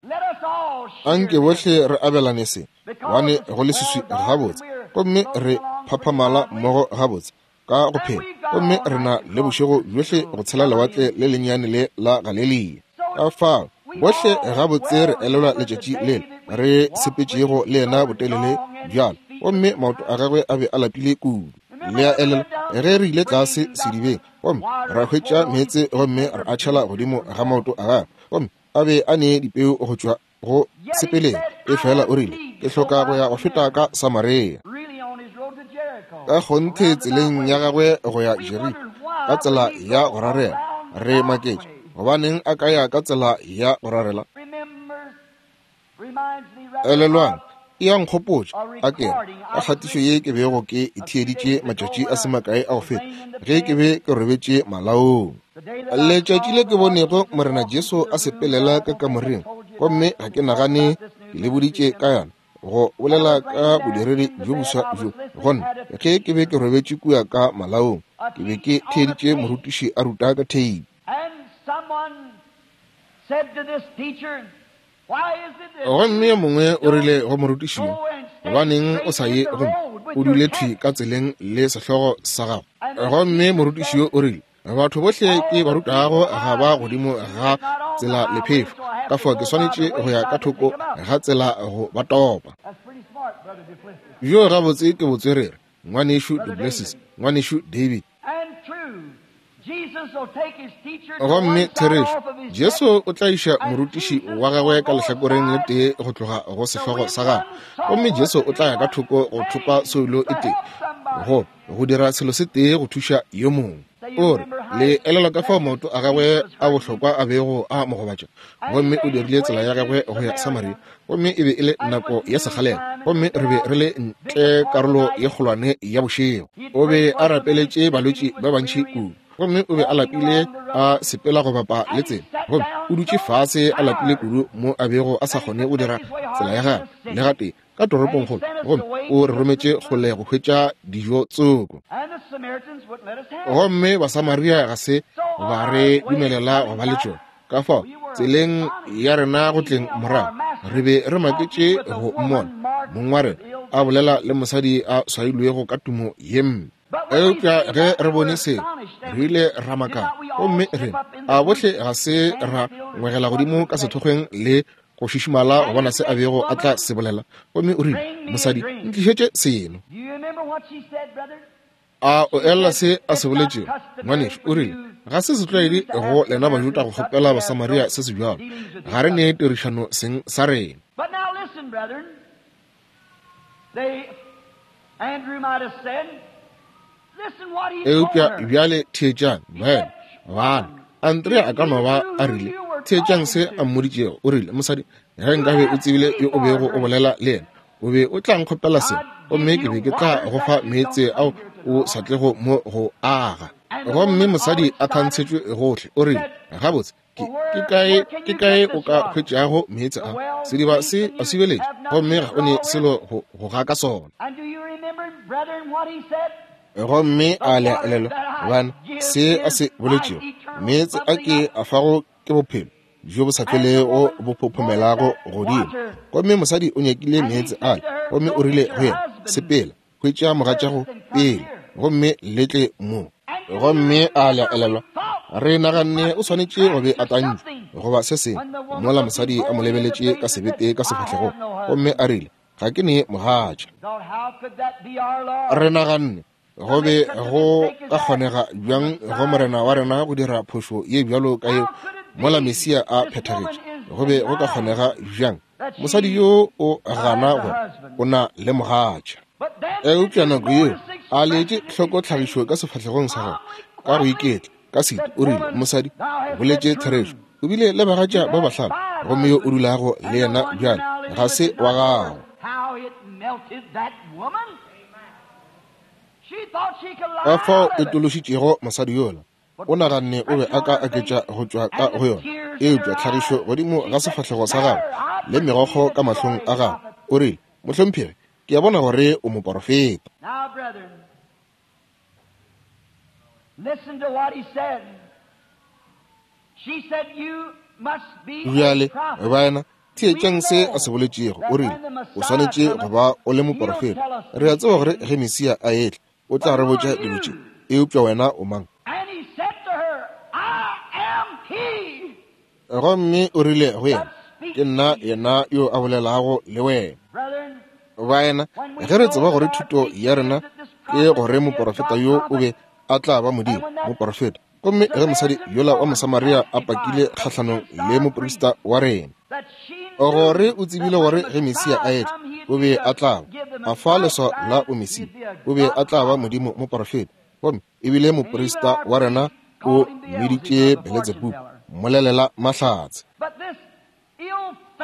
Anke bohle re abelane se, gobane go leswiswi gabotse, gomme re phaphamala mmogo gabotse ka go phela, gomme re na le bošego bjohle go tshela lewatle le lennyane le la Galelia. Ka fao bohle gabotse re elelwa letšatši lele re sepetšego le yena botelele bjalo, gomme maoto a gagwe a be a lapile kudu. Le a elelwa ge re ile tlase sedibeng, gomme ra hwetša meetse gomme re a tšhela godimo ga maoto a gagwe, gomme a be a ne dipeu go tšwa go sepeleng. E fela o rile, ke hloka go ya go feta ka Samaria. Ka kgonthe tseleng ya gagwe go ya Jeriko, ka tsela ya go rarela, re maketše gobaneng a ka ya ka tsela ya go rarela. Elelwang, e a nkgopotša a kere ka kgatišo ye ke bego ke e theeditše matšatši a se makae a go feta, ge ke be ke robetše malaong. Letšatši le ke bonego Morena Jesu a sepelela ka kamoreng, gomme ga ke nagane ke le boditše ka yona, go bolela ka bodiredi bjo boswa bjo. Gona ge ke be ke robetše kua ka malaong, ke be ke theeditše morutiši a ruta ka theipi. Gomme yo mongwe o rile go morutiši yo, gobaneng o sa ye gomme o dule thwi ka tseleng le sehlogo sa gago? Gomme morutiši yo o rile, batho bohle ke ba rutago ga ba godimo ga tsela lephefo, ka fao ke swanetše go ya ka thoko ga tsela go ba topa. Bjo gabotse ke botswerere, ngwanešu Du Plessis, ngwanešu David. Gomme therešo, Jesu o tla iša morutiši wa gagwe ka lehlakoreng le tee go tloga go sehlogo sa gagwe, gomme Jesu o tla ya ka thoko go thopa soulo e tee, go go dira selo se tee go thuša yo mongwe. O re, le elelwa ka fao maoto a gagwe a bohlokwa a bego a mo gobatša, gomme o dirile tsela ya gagwe go ya Samaria, gomme e be e le nako ya sekgalela, gomme re be re le ntle karolo ye kgolwane ya bošego. O be a rapeletše balwetši ba bantši kudu, gomme o be a lapile a sepela go bapa le tsela, gomme o dutše fase a lapile kudu mo a bego a sa kgone go dira tsela ya gagwe le gatee ka toropongkgolo, gomme o re rometše kgole go hwetša dijo tsoko. Gomme Basamaria ga se ba re dumelela go ba le tšona. Ka fao tseleng ya rena go tleng morago, re be re maketše go mmona mong wa rena a bolela le mosadi a swailwego ka tumo ye mpe. Eupša ge re bone seo, re ile ra makala, gomme re a bohle ga se ra ngwegela godimo ka sethokgweng le go šišimala go bona se a bego a tla se bolela. Gomme o rile, mosadi, ntlišetše seno. A o elela se a se boletšego, ngwanešu? O rile, ga se setlwaedi go lena Bajuda go kgopela Basamaria se se bjalo, ga re ne tirišano seng sa rena. Eupša bjale theetšang, baena, bana. Andrea a ka no ba a rile, theetšang se a mmoditšego. O rile, mosadi, ge nkabe o tsebile yo o bego o bolela le yena, o be o tla nkgopela seo, gomme ke be ke tla go fa meetse ao o sa tlego mo go aga. Gomme mosadi a thantshetšwe gohle. O rile, gabotse, ke ke kae ke kae o ka hwetšago meetse a? Sediba se a sibeletše, gomme ga o ne selo go go ga ka sona. Gomme a le elelwa, bana, se a se boletšego, meetse a ke a fago ke bophelo bjo bo sa felego bo phophomelago godimo. Gomme mosadi o nyakile meetse ale, gomme o rile go yena, sepela, hwetša mogatšago pele, gomme le tle mo. Gomme a le elelwa, re naganne o swanetše go be a tantšwe goba se sengwe, mola mosadi a mo lebeletše ka sebete ka sefahlegong, gomme a rile, Ga ke ne mogatša. Re naganne go be go ka kgonega bjang go Morena wa rena go dira phošo ye bjalo ka yeo mola Mesia a phethagetše? Go be go ka kgonega bjang mosadi yo o gana gore o na le mogatša? Eupša nako yeo a letše hloko tlhagišo ka sefahlegong sa gagwe ka go iketla ka setu, o rile, mosadi, o boletše therešo. O bile le bagatša ba bahlano, gomme yo o dulago le yena bjale ga se wa gago. Ka fao e tološitšego mosadi yola, o naganne o be a ka aketša go tšwa ka go yona, eupša tlhagišo godimo ga sefahlego sa gagwe le megokgo ka mahlong a gagwe, o rile, mohlomphegi, ke a bona gore o moporofeta. Bjale baena, theetšang se a se boletšego. O rile, o swanetše go ba o le moporofeta. Re a tseba gore ge Mesia a etla, o tla re botša dilo tše, eupša wena o mang? Gomme o rile go yena, ke nna yena yo a bolelago le wena. Baena, ge re tseba gore thuto ya rena ke gore moporofeta yo o be a tla ba Modimo moporofeta, gomme ge mosadi yola wa Mosamaria a pakile kgahlanong le moprista wa rena, gore o tsebile gore ge Mesia a etla o be a tla ba a fa leswao la o Mesia, o be a tla ba Modimo moporofeta, gomme ebile moprista wa rena o mmiditše Beletsebubu, mmolelela mahlatse.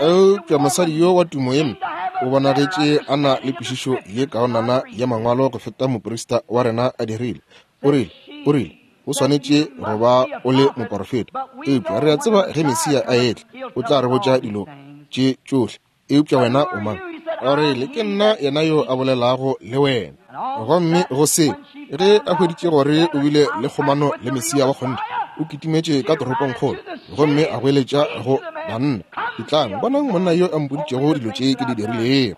Eupša mosadi yo wa tumo ye mpe o bonagetše a na le kwešišo ye kaonana ya mangwalo go feta moprista wa rena a dirile. O rile, o rile, o swanetše go ba o le moporofeta, eupša re a tseba ge Mesia a etla o tla re botša dilo tše tšohle, eupša wena o mang? O rile, ke nna yena yo a bolelago le wena. Gomme go se, ge a hweditše gore o bile le kgomano le Mesia wa kgonthe, o kitimetše ka toropongkgolo gomme a goeletša go banna, etlang bonang monna yo a mpoditšego dilo tše ke di dirilego.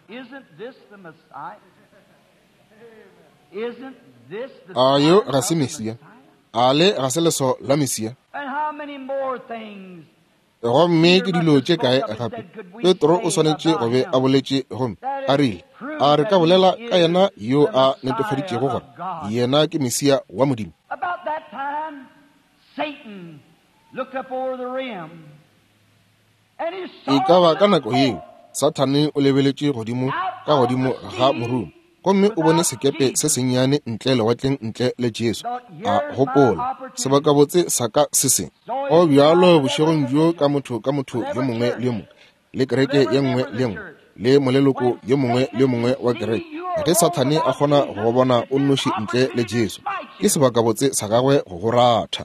A yo ga se Mesia? A le ga se leswao la Mesia? Gomme ke dilo tše kae gape Petro o swanetše go be a boletše gomme a rile, a re ka bolela ka yena yo a netefaditšego gore yena ke Mesia wa Modimo? E ka ba ka nako yeo Sathane o lebeletše godimo ka godimo ga morumo, gomme o bone sekepe se sennyane ntle lewatleng ntle le Jesu. A gopola, sebakabotse sa ka se se. Go bjalo bošegong bjo ka motho ka motho yo mongwe le yo mongwe, le kereke ye nngwe le nngwe, le moleloko yo mongwe le yo mongwe wa kereke. Ge Sathane a kgona go bona o nnoši ntle le Jesu, ke sebakabotse sa gagwe go go ratha.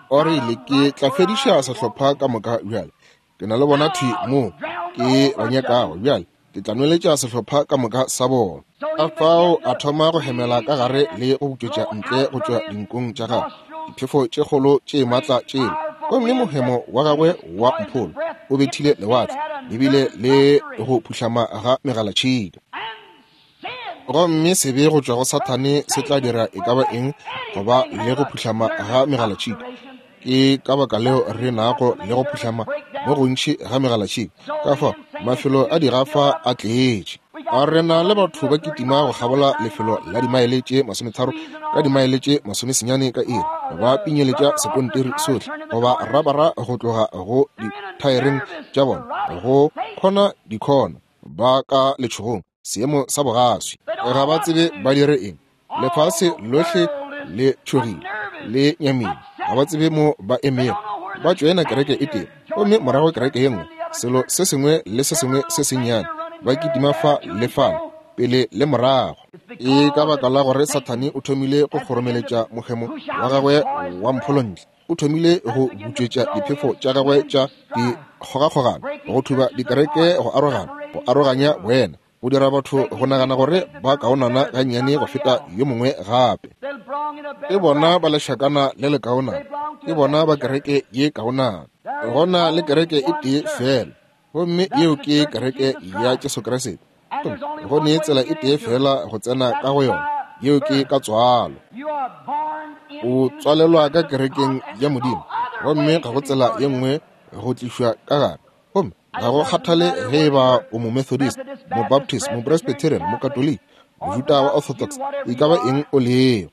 O rile, ke tla fediša sehlopha ka moka bjale. Ke na le bona thwi mo ke ba nyakago bjale. Ke tla nweletša sehlopha ka moka sa bona. Ka fao a thoma go hemela ka gare le go butšwetša ntle go tšwa dinkong tša gagwe diphefo tše kgolo tše matla tšela, gomme mohemo wa gagwe wa mpholo o bethile lewatle lebile le go phuhlama ga megalatšhika. Gomme sebe go tšwa go Sathane se tla dira e ka ba eng go ba le go phuhlama ga megalatšhika. Ke ka baka leo re nago le go phuhlama mo gontši ga megalatšhika. Ka fao mafelo a digafa a tletše. A re na le batho ba kitima go kgabola lefelo la dimaele tše masometharo ka dimaele tše masomesenyane ka iri, ba pinyeletša sekontiri sohle goba rabara go tloga go dithaereng tša bona go khona dikhona, ba ka letšhogong, seemo sa bogaswi. Ga ba tsebe ba dire eng. Lefase lohle le tšhogile le nyamile, ga ba tsebe mo ba emego. Ba tšoena kereke e tee gomme morago kereke ye nngwe, selo se sengwe le se sengwe se sennyane, ba kitima fa le fale, pele le morago. E ka baka la gore Sathane o thomile go kgoromeletša mohemo wa gagwe wa mpholontle, o thomile go butšwetša diphefo tša gagwe tša dikgogakgogano, go thuba dikereke, go arogana, go aroganya boena, go dira batho go nagana gore ba kaonana gannyane go feta yo mongwe gape. Ke bona ba lešakana le le kaonana, ke bona ba kereke ye kaonana. Gona le kereke e tee fela, gomme yeo ke kereke ya Jesu Kriste. Go ne tsela e tee fela go tsena ka go yona, yeo ke ka tswalo. O tswalelwa ka kerekeng ya Modimo, gomme ga go tsela ye nngwe go tlišwa ka gare, gomme Ga go kgathale ge e ba o mo-Methodist, mo-Baptist, mo-Presbyterian, mo-Katoliki, Mojuda wa Orthodox, e ka ba eng o lego.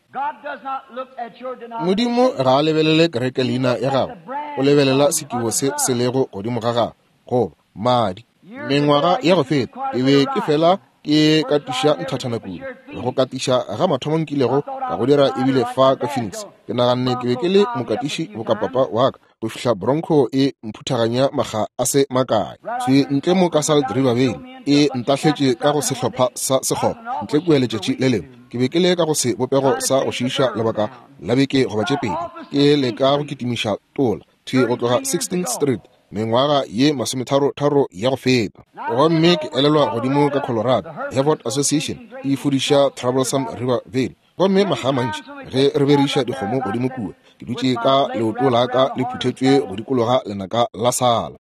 Modimo ga a lebelele kereke leina ya gago, o lebelela sekibo se se lego godimo ga gago, goba madi. Mengwaga ya go feta ke be ke fela ke katiša nthathana kudu. Go katiša ga mathomo nkilego ka go dira ebile fa ka Phoenix. Ke naganne ke be ke le mokatiši boka papa wa ka, go fihla Bronco e mphuthaganya makga a se makae. Thwi ntle mo ka Salt River Valley e ntahletše ka go sehlopha sa sekgoba ntle kua letšatši le lengwe. Ke be ke le ka go sebopego sa go šiiša lebaka la beke goba tše pedi, ke leka go kitimiša tola thwi go tloga sixteenth Street mengwaga ye masometharo-tharo ya go feta. Gomme ke elelwa godimo ka Colorado, Hereford Association e fudiša Troublesome River Valley. Gomme makga a mantši ge re beriša dikgomo godimo kua, ke dutše ka leoto la ka le phuthetšwe go dikologa lenaka la sala.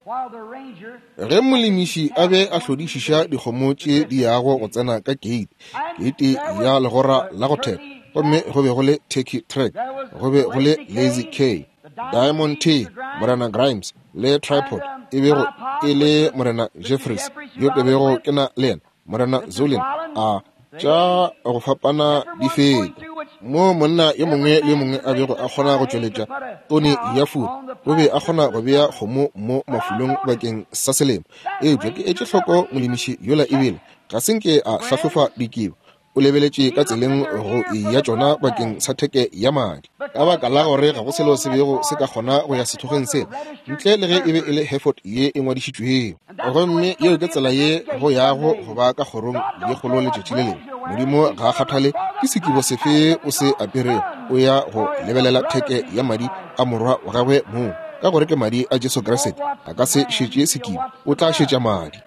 Ge molemiši a be a hlodišiša dikgomo tše di yago go tsena ka keite, keite ya legora la go theka, gomme go be go le Turkey Track, go be go le Lazy K, Diamond T, Morena Grimes, le Tripod, e bego e le Morena Jeffries, yo ke bego ke na le yena, Morena Zolin, a tša go fapana di feta. Mo monna yo mongwe le yo mongwe a bego a kgona go tšweletša tone ya furu, o be a kgona go bea kgomo mo mafulong bakeng sa selemo. Eupša ke etše hloko molemiši yola ebile ga se nke a hlahlofa dikibo, o lebeletše ka tseleng go ya tšona bakeng sa theke ya madi, ka baka la gore ga go selo se bego se ka kgona go ya sehlogeng sela ntle le ge e be e le Hereford ye e ngwadišitšwego. Gomme yeo ke tsela ye go yago go ba ka kgorong ye kgolo letšatši le lengwe. Modimo ga a kgathale ke sekibo sefe o se aperego, o ya go lebelela theke ya madi a morwa wa gagwe mong, ka gore ke madi a Jesu Kriste. A ka se šetše sekibo, o tla šetša madi.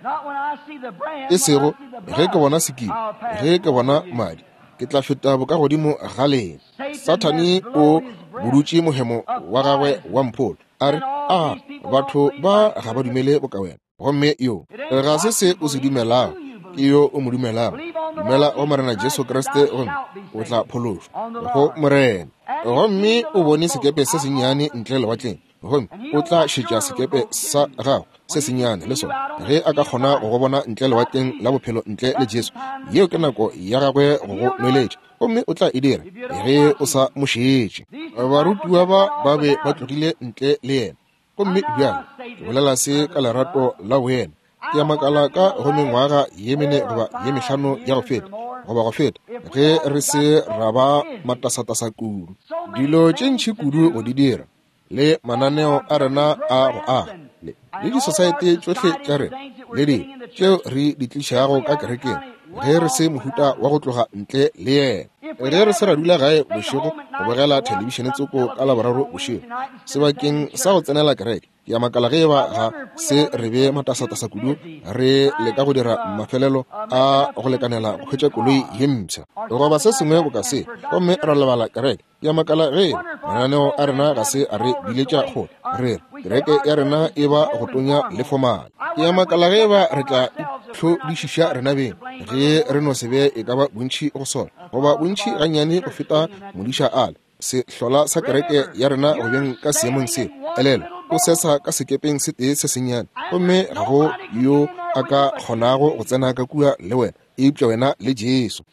E sego ge ke bona sekibo, ge ke bona madi, ke tla feta bokagodimo ga lena. Sathane o budutše mohemo wa gagwe wa mpholo, a re, a batho ba ga ba dumele boka wena. Gomme yo ga se se o se dumelago, ke yo o mo dumelago. Dumela go Morena Jesu Kriste gomme o tla phološwa, go Morena. Gomme o bone sekepe se sennyane ntle lewatleng, gomme o tla šetša sekepe sa gago se sennyane le sona. Ge a ka kgona go go bona ntle lewatleng la bophelo ntle le Jesu, yeo ke nako ya gagwe go go nweletša, gomme o tla e dira ge o sa mo šetše. Barutiwa ba ba be ba tlogile ntle le yena. Gomme bjale ke bolela se ka lerato la boena. Ke a makala ka go mengwaga ye mene goba ye mehlano ya go feta, goba go feta, ge re se ra ba matasatasa kudu, dilo tše ntši kudu go di dira, le mananeo a rena a go aga, le le disosaete tšohle tša rena, le dilo tšeo re di tlišago ka kerekeng, ge re se mohuta wa go tloga ntle le yena. Ge re se ra dula gae bošego go bogela thelebišene tsoko ka Laboraro bošego sebakeng sa go tsenela kereke, ke a makala ge eba ga se re be matasatasa kudu re leka go dira mafelelo a go lekanela go hwetša koloi ye mpsha goba se sengwe boka se, gomme ra lebala kereke. Ke a makala ge mananeo a rena ga se a re biletša kgole, re re kereke ya rena e ba go tonya le fomale. Ke a makala ge eba re tla itlhodišiša rena beng ge re no se be e ka ba bontši go sona, goba bontši gannyane go feta modiša ale sehlola sa kereke ya rena go beng ka seemong seo. Elelwa, o sesa ka sekepeng se tee se sennyane, gomme ga go yo a ka kgonago go tsena ka kua le wena eupša wena le Jesu.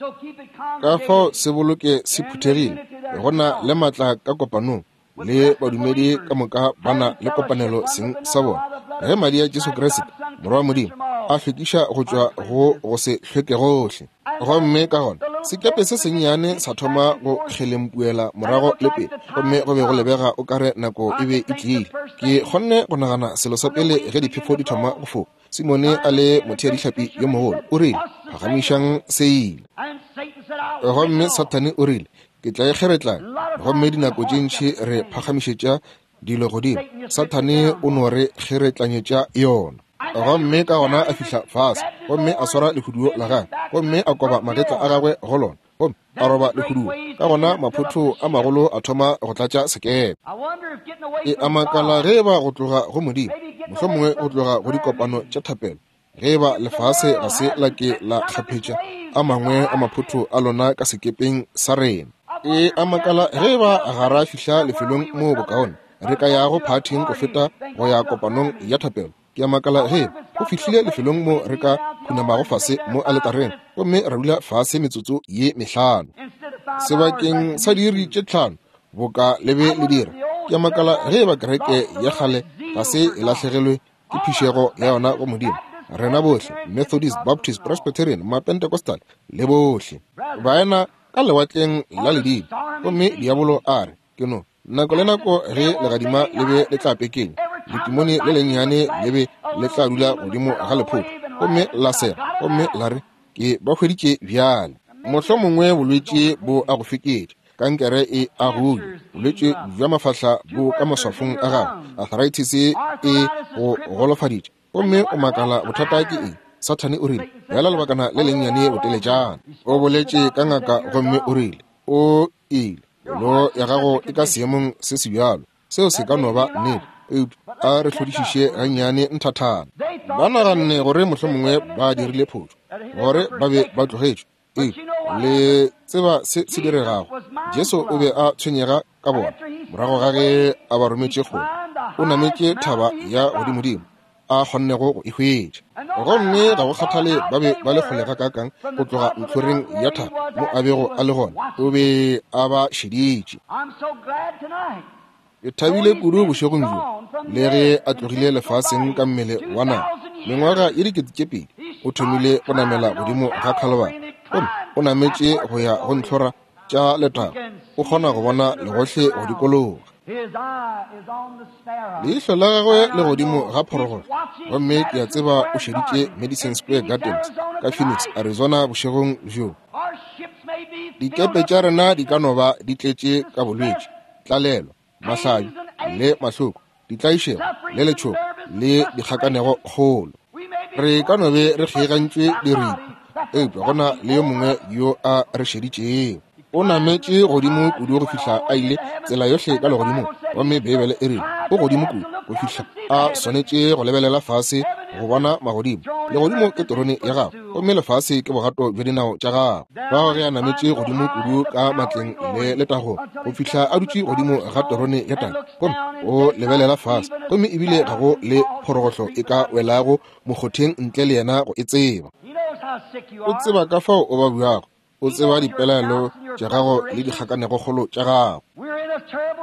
Ka fao se boloke se phuthegile, go na le matla ka kopanong, le badumedi ka moka ba na le kopanelo seng sa bona. Ge madi a Jesu Kriste morwa wa Modimo a hlwekiša go tšwa go go se hlweke gohle. Gomme ka gona sekepe se sennyane sa thoma go kgelempuela morago le pele, gomme go be go lebega o kare nako e be e tlile. Ke kgonne go nagana selo sa pele ge diphefo di thoma go foka. Simone a le motheadihlapi yo mogolo o rile, phagamišang seile. Gomme Sathane o rile, ke tla e kgeretlana. Gomme dinako tše ntši re phagamišetša dilo godimo, Sathane o no re kgeretlanyetša yona. Gomme ka gona a fihla fase, gomme a swara lehuduo la gagwe, gomme a koba magetla a gagwe go lona, gomme a roba lehuduo. Ka gona maphotho a magolo a thoma go tlatša sekepe. E a makala ge eba go tloga go Modimo, mohlomongwe go tloga go dikopano tša thapelo, ge eba lefase ga se la ke la kgaphetša a mangwe a maphotho a lona ka sekepeng sa rena. E a makala ge eba ga ra fihla lefelong moo bokaone re ka yago phathing go feta go ya kopanong ya thapelo, Ke a makala ge go fihlile lefelong mo re ka khunamago fase mo aletareng gomme ra dula fase metsotso ye mehlano sebakeng sa diiri tše tlhano boka le be le dira. Ke a makala ge eba kereke ya kgale ga se e lahlegelwe ke phišego ya yona go Modimo. Rena bohle, Methodist, Baptist, Presbyterian, Mapentecostal le bohle, baena ka lewatleng la ledimo. Gomme diabolo a re, ke no nako le nako ge legadima le be le tla pekenya, letimone le lennyane le be le tla dula godimo ga lephoto gomme la sega gomme la re, ke ba hweditše bjale. Mohlomongwe bolwetši bo a go feketša, kankere e a go ja, bolwetši bja mafahla bo ka maswafong a gago, arthritis e go golofaditše, gomme o makala bothata ke eng. Sathane o rile, bjala lebakana le lennyane boteletšana. O boletše ka ngaka gomme o rile, o ile, pelo ya gago e ka seemong se se bjalo. Seo se ka no ba nnete, eupša a re hlodišiše gannyane nthathana. Ba naganne gore mohlomongwe ba dirile phošo, gore ba be ba tlogetšwe. Eupša le tseba se se diregago. Jesu o be a tshwenyega ka bona. Morago ga ge a ba rometše kgole, o nametše thaba ya godimodimo a kgonnego go e hwetša. Gomme ga go kgathale ba be ba le kgole gakaakang go tloga ntlhoreng ya thaba mo a bego a le gona, o be a ba šeditše. Ke thabile kudu bošegong bjo, le ge a tlogile lefaseng ka mmele wa nama mengwaga ye dikete tše pedi, o thomile go namela godimo ga Calvary, gomme o nametše go ya go ntlhora tša letago. O kgona go bona legohle go dikologa. Leihlo la gagwe le godimo ga phorogolo, gomme ke a tseba o šeditše Madison Square Gardens ka Phoenix, Arizona bošegong bjo. Dikepe tša rena di ka no ba di tletše ka bolwetši, tlalelo, mahlabi le mahloko, ditlaišego le letšhogo le dikgakanego kgolo. Re ka no be re kgegantšwe diripo, eupša go na le yo mongwe yo a re šeditšego. O nametše godimo kudu go fihla a ile tsela yohle ka legodimong, gomme Beibele e rile o godimo kudu go fihla a swanetše go lebelela fase go bona magodimo. Legodimo ke terone ya gagwe, gomme lefase ke bogato bja dinao tša gagwe. Bao ge a nametše godimo kudu ka matleng le letagong go fihla a dutše godimo ga terone ya Tate, gomme o lebelela fase, gomme ebile ga go le phorogohlo e ka welago mokgotheng ntle le yena go e tseba. O tseba ka fao o babjago, o tseba dipelaelo tša gago le dikgakanegokgolo tša gago.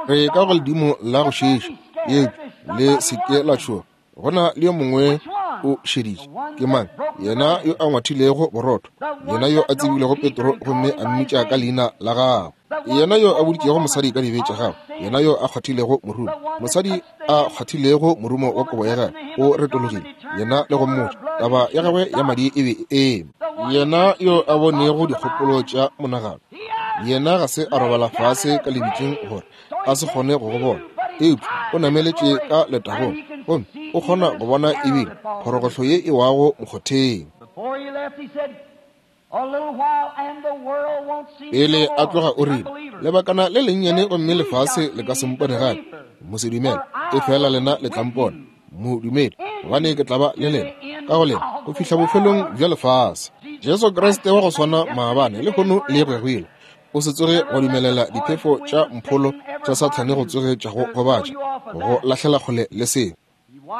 Re ka go ledimo la go šiiša, eupša le se ke la tšhoga. Go na le yo mongwe o šeditše. Ke mang? Yena yo a ngwathilego borotho, yena yo a tsebilego Petro gomme a mmitša ka leina la gagwe, yena yo a boditšego mosadi ka dibe tša gagwe, yena yo a kgwathilego morumo, mosadi a kgwathilego morumo wa kobo ya gagwe, o retologile yena le go mmotša taba ya gagwe ya madi e be e eme. Yena yo a bonego dikgopolo tša monagano, yena ga se a robala fase ka lebitleng gore a se kgone go go bona, eupša o nameletše ka letagong gomme o kgona go bona ebile phorogohlo ye e wago mokgotheng. Pele a tloga o rile, lebakana le lennyane gomme lefase le ka se mpone gape. Mosedumele, efela lena le tla mpona. Modumedi, gobane ke tla ba le lena ka go lena go fihla bofelong bja lefase. Jesu Kriste wa go swana maabane lehono le go ya go ile. O se tsoge wa dumelela diphefo tša mpholo tša Sathane go tsoge tša go gobatša, go lahlela kgole le seo.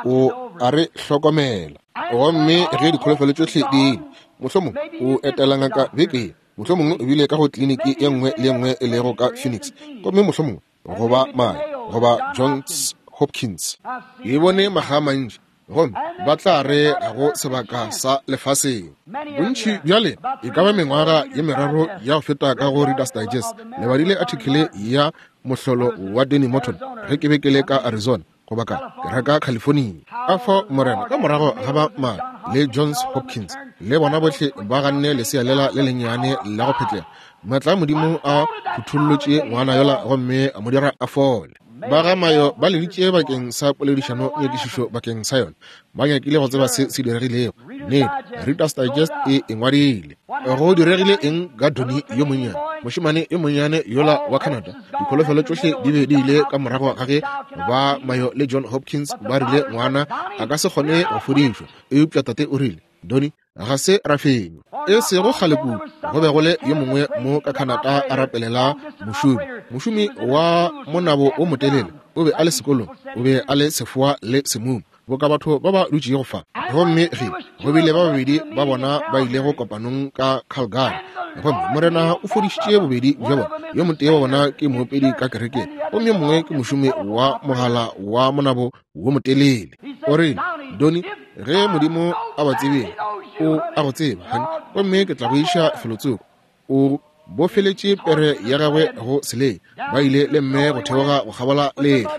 O a re hlokomela. Gomme ge dikholofelo tšohle di ile, mohlomongwe o etela ngaka beke ye, mohlomongwe o bile ka go kliniki ye nngwe le ye nngwe e lego ka Phoenix, gomme mohlomongwe goba Mayo goba Johns Hopkins. Ke bone makga a mantši, gomme ba tla re ga go sebaka sa lefaseng. Bontši bja lena e ka ba mengwaga ye meraro ya go feta ka go Reader's Digest le badile article ya mohlolo wa Danny Morton ge ke be ke le ka Arizona goba ka ke reka California. Ka fao Morena ka morago ga ba Mayo le Johns Hopkins le bona bohle ba ganne lesea lela le lennyane la go phetlega, maatla a Modimo a phuthullotše ngwana yola gomme a mo dira a fole. Ba ga Mayo ba leditše bakeng sa poledišano nyakišišo bakeng sa yona. Ba nyakile go tseba se se diregilego. Nnete, Reader's Digest e e ngwadile. Go diregile eng ka Donnie yo monnyane, mošemane yo monnyane yola wa Canada? Dikholofelo tšohle di be di ile ka morago ga ge ba Mayo le John Hopkins ba rile ngwana a ka se kgone go fodišwa, eupša tate o rile, Donnie, ga se ra fenywa. E sego kgale kudu, go be go le yo mongwe mo ka Canada a rapelela mošomi, mošomi wa monabo o motelele. O be a le sekolong, o be a le sefoa le semumu. boka batho ba ba dutšego fa. Gomme ge go bile ba babedi ba bona ba ilego kopanong ka Calgary, gomme Morena o fodišitše bobedi bja bona. Yo motee wa bona ke moopedi ka kerekeng, gomme yo mongwe ke mošomi wa mogala wa monabo wo motelele. O rile, Donny, ge Modimo a ba tsebile, o a go tseba, honey, gomme ke tla go iša felotsoko. O bofeletše pere ya gagwe go selei. Ba ile le mme go theoga go kgabola lehlwa.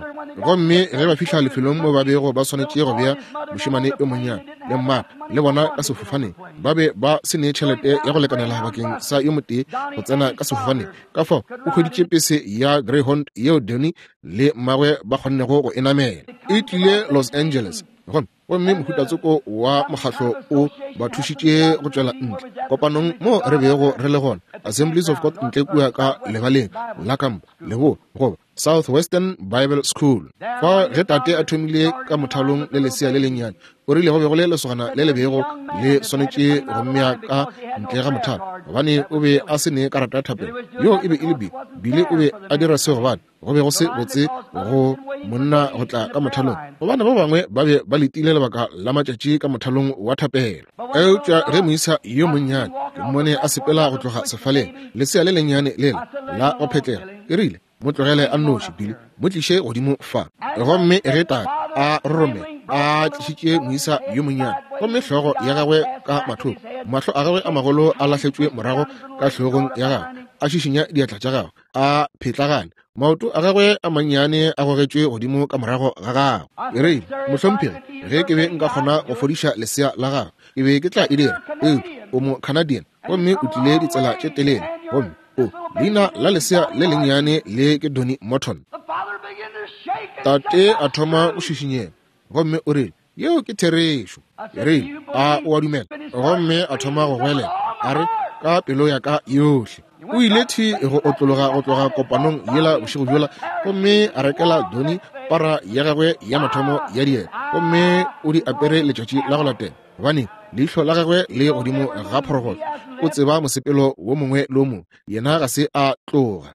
Gomme ge ba fihla lefelong mo ba bego ba swanetše go bea mošemane yo monnyane le mmagwe le bona ka sefofaneng, ba be ba se ne tšhelete ya go lekanela bakeng sa yo motee go tsena ka sefofaneng. Ka fao o hweditše pese ya Greyhound yeo Donny le mmagwe ba kgonnego go e namela. E tlile Los Angeles, gomme gomme mohutatsoko wa mokgahlo o ba thušitše go tšwela ntle kopanong mo re bego re le gona, Assemblies of God ntle kua ka lebaleng la kampa leboa goba Southwestern Bible School. Fa ge tate a thomile ka mothalong le lesea le lennyane, o rile go be go le lesogana le le bego le swanetše go mmea ka ntle ga mothalo, gobane o be a se ne karata ya thapelo. Yo e be e le Billy. Billy o be a dira se gobane go be go se botse go monna go tla ka mothalong, gobane ba bangwe ba be ba letile lebaka la matšatši ka mothalong wa thapelo. Eupša ge moisa yo monnyane ke mmone a sepela go tloga sefaleng, lesea le lennyane lela la go phetlega, ke rile, mo tlogele a nnoši, Billy, mo tliše godimo fa. Gomme ge tate a roromela a tlišitše moisa yo monnyane, gomme hlogo ya gagwe ka mathoko, mahlo a gagwe a magolo a lahletšwe morago ka hlogong ya gagwe, a šišinya diatla tša gagwe, a phetlagane, maoto a gagwe a mannyane a gogetšwe godimo ka morago ga gagwe. Ke rile, mohlomphegi, ge ke be nka kgona go fodiša lesea la gagwe, ke be ke tla e dira. Eupša o mo Canadian, gomme o tlile ditsela tše telele, gomme o leina la lesea le lennyane le ke Donny Morton. Tate a thoma go šišinyega, gomme o rile, yeo ke therešo. Ke rile, a o a dumela? Gomme a thoma go goelela, a re, ka pelo ya ka yohle. O ile thi go otlologa go tloga kopanong yela bošego bjola, gomme a rekela Donny para ya gagwe ya mathomo ya dieta, gomme o di apere letšatši la go latela, gobane leihlo la gagwe le godimo ga phorogolo. O tseba mosepelo wo mongwe le wo mongwe, yena ga se a tloga.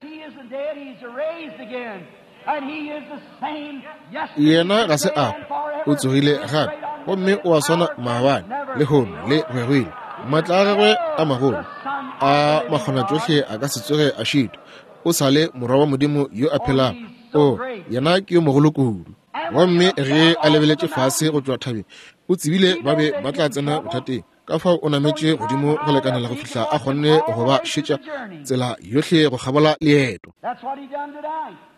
Yena ga se a hwa, o tsogile gape, gomme o a swana maabane, lehono le go ya go ile. Maatla a gagwe a magolo a makgonatšohle a ka se tsoge a šitwa. O sa le morwa wa Modimo yo a phelago. O, yena ke yo mogolo kudu. Gomme ge a lebeletše fase go tšwa thabeng, o tsebile ba be ba tla tsena bothateng. Ka fao o nametše godimo go lekanela go fihla a kgonne go ba šetša tsela yohle go kgabola leeto.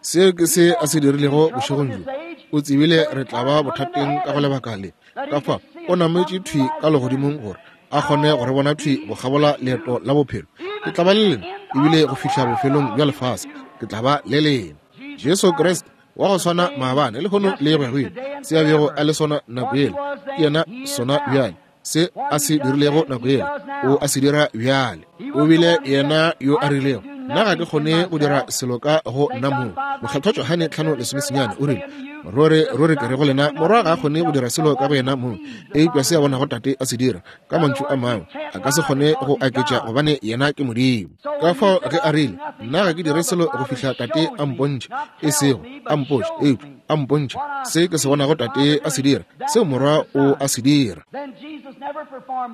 Seo ke se a se dirilego bošegong bjo. O tsebile re tla ba bothateng ka go lebaka le. Ka fao o nametše thwi ka legodimong gore a kgone go re bona thwi go kgabola leeto la bophelo. Ke tla ba le lena ebile go fihla bofelong bja lefase. Ke tla ba le lena. Jesu Kriste wa go swana maabane lehono le go ya go ile. Se a bego a le sona nako yela, ke yena sona bjale. Se a se dirilego nako yela, o a se dira bjale. O bile yena yo a rilego, nna ga ke kgone go dira selo ka go nna mong. Mokgethwa Johane tlhano lesomesenyane o rile, ruri ruri ke re go lena, morwa ga a kgone go dira selo ka go yena mong, eupša se a bonago tate a se dira. Ka mantšu a mangwe, a ka se kgone go aketša, gobane yena ke Modimo. Ka fao ge a rile, nna ga ke dire selo go fihla tate a mpontšhe, e sego a mpotše, eupša a mpontšhe se ke se bonago tate a se dira, seo morwa o a se dira.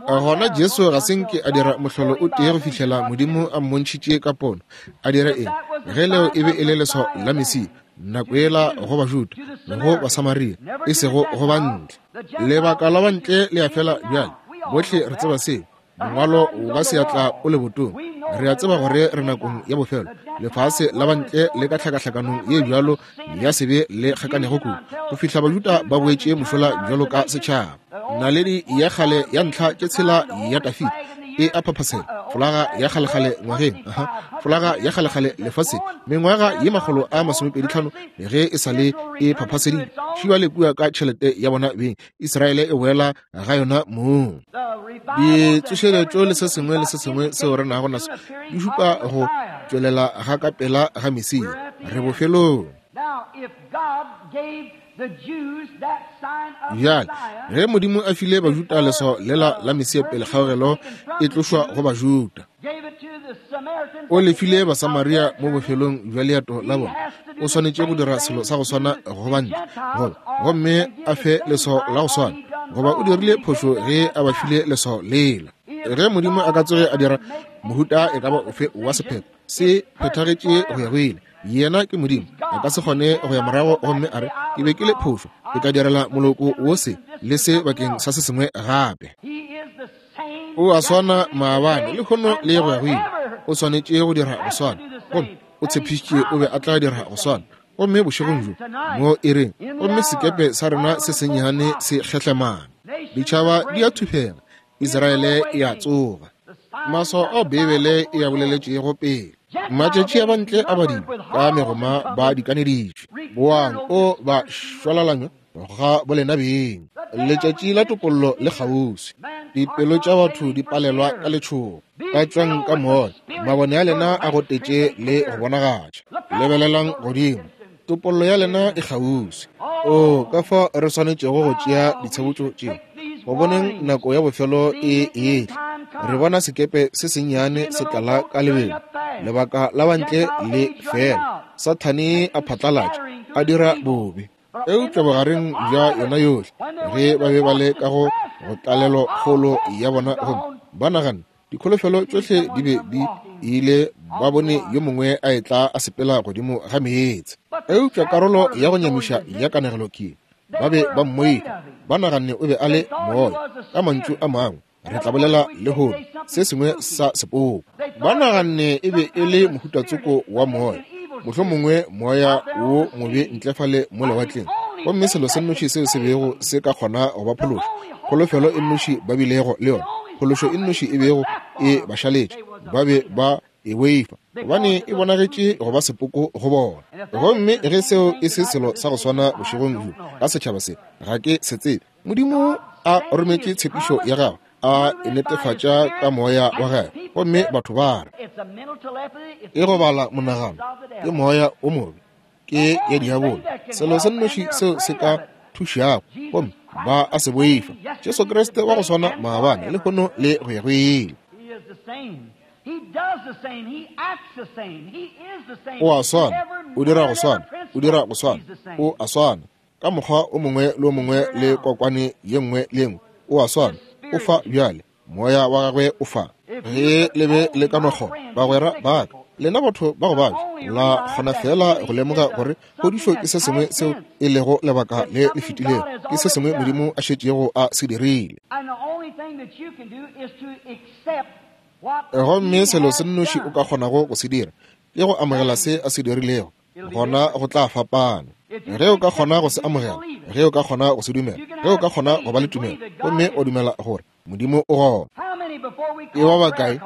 Gona Jesu ga se nke a dira mohlolo o tee go fihlela Modimo a mmontšhitše ka pono. A dira eng? Ge leo e be e le leswao la Mesia nako yela go Bajuda go Basamaria, e sego go bantle. Lebaka la bantle le a fela bjale, bohle re tseba seo. Mongwalo wa seatla o lebotong. Re a tseba gore re nakong ya bofelo. Lefase la bantle le ka tlhakahlakanong ye bjalo ya sebe le kgakanego kudu, go fihla Bajuda ba boetše mošola bjalo ka setšhaba. Naledi ya kgale ya ntlha tše tshela ya Dafida e a phaphasela, folaga ya kgalekgale ngwageng, aha, folaga ya kgalekgale lefaseng, mengwaga ye makgolo a masomepedi tlhano ge e sa le e phaphaseditšwe. Šiba le kua ka tšhelete ya bona beng, Israele e boela ga yona mong. Ditsošeletšo le se sengwe le se sengwe seo re nago naso di šupa go tšwelela ga ka pela ga Mesia. Re bofelong. Bjale, ge Modimo a file Bajuda leswao lela la Mesia pele kgaogelo e tlošwa go Bajuda, o le file Basamaria mo bofelong bja leeto la bona. O swanetše go dira selo sa go swana go bantle, goba gomme a fe leswao la go swana, goba o dirile phošo ge a ba file leswao lela. Ge Modimo a ka tsoge a dira mohuta e ka ba ofe wa sephetho, se phethagetše go ya go ile. Yena ke Modimo, a ka se kgone go ya morago gomme a re, ke be ke le phošo, ke tla direla moloko wo se le se bakeng sa se sengwe gape. O a swana maabane, lehono le go ya go ile. O swanetše go dira go swana, gomme o tshepišitše o be a tla dira go swana. Gomme bošegong bjo mo iring, gomme sekepe sa rena se sennyane se kgehlemana, ditšhaba di a thufega, Israele e a tsoga. Maswao ao Beibele e a boleletšego pele, matšatši a bantle a badimo ka megoma ba dikaneditšwe, boang o ba šwalalanywa ga bolena beng. Letšatši la topollo le kgauswi, dipelo tša batho di palelwa ka letšhogo. Ka tšwang ka moya, mabone a lena a gotetše le go bonagatša. Lebelelang godimo, topollo ya lena e kgauswi. O ka fa re swanetšego go tšea ditshebotšo tše, go boneng nako ya bofelo e etla. Re bona sekepe se sennyane se tlala ka lebelo, lebaka la bantle le fela. Sathane a phatlalatša, a dira bobe. Eupša bogareng bja yona yohle, ge ba be ba le ka go go tlalelo kgolo ya bona, gomme ba nagana dikholofelo tšohle di be di ile, ba bone yo mongwe a etla a sepela godimo ga meetse. Eupša karolo ya go nyamiša ya kanegelo ke, ba be ba mmoifa, ba naganne o be a le moya. Ka mantšu a mangwe, re tla bolela lehono se sengwe sa sepoko. Ba naganne e be e le mohutatsoko wa moya, mohlomongwe moya wo mobe ntle fale mo lewatleng, gomme selo se nnoši seo se bego se ka kgona go ba phološa, kholofelo e nnoši ba bilego le yona, phološo e nnoši e bego e ba šaletše, ba be ba e boifa, gobane e bonagetše go ba sepoko go bona. Gomme ge seo e se selo sa go swana bošegong bjo ka setšhaba se, ga ke se tsebe. Modimo a rometše tshepišo ya gagwe, a e netefatša ka moya wa gagwe, gomme batho ba re e go bala monagano ke moya o mobe, ke ya diabolo, selo se nnoši seo se ka thušago, gomme ba a se boifa. Jesu Kriste wa go swana maabane, lehono le go ya go ile. O a swana, o dira go swana, o dira go swana, o a swana ka mokgwa o mongwe le o mongwe le kokwane ye nngwe le nngwe. O a swana, o fa bjale, moya wa gagwe o fa. Ge le be le ka no kgona, bagwera ba ka, lena batho ba go babja, la kgona fela go lemoga gore phodišo ke se sengwe seo e lego lebaka le le fetilego, ke se sengwe Modimo a šetšego a se dirile. Gomme selo se nnoši o ka kgonago go se dira ke go amogela se a se dirilego, gona go tla fapana. Ge o ka kgona go se amogela, ge o ka kgona go se dumela, ge o ka kgona go ba le tumelo, gomme o dumela gore Modimo o gona. E ba bakae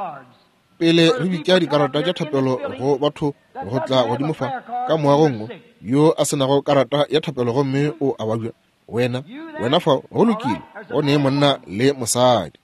pele re bitša dikarata tša thapelo go batho go tla godimo fa ka moagong yo a senago karata ya thapelo gomme o a babja? Wena, wena fa, go lokile, go ne monna le mosadi.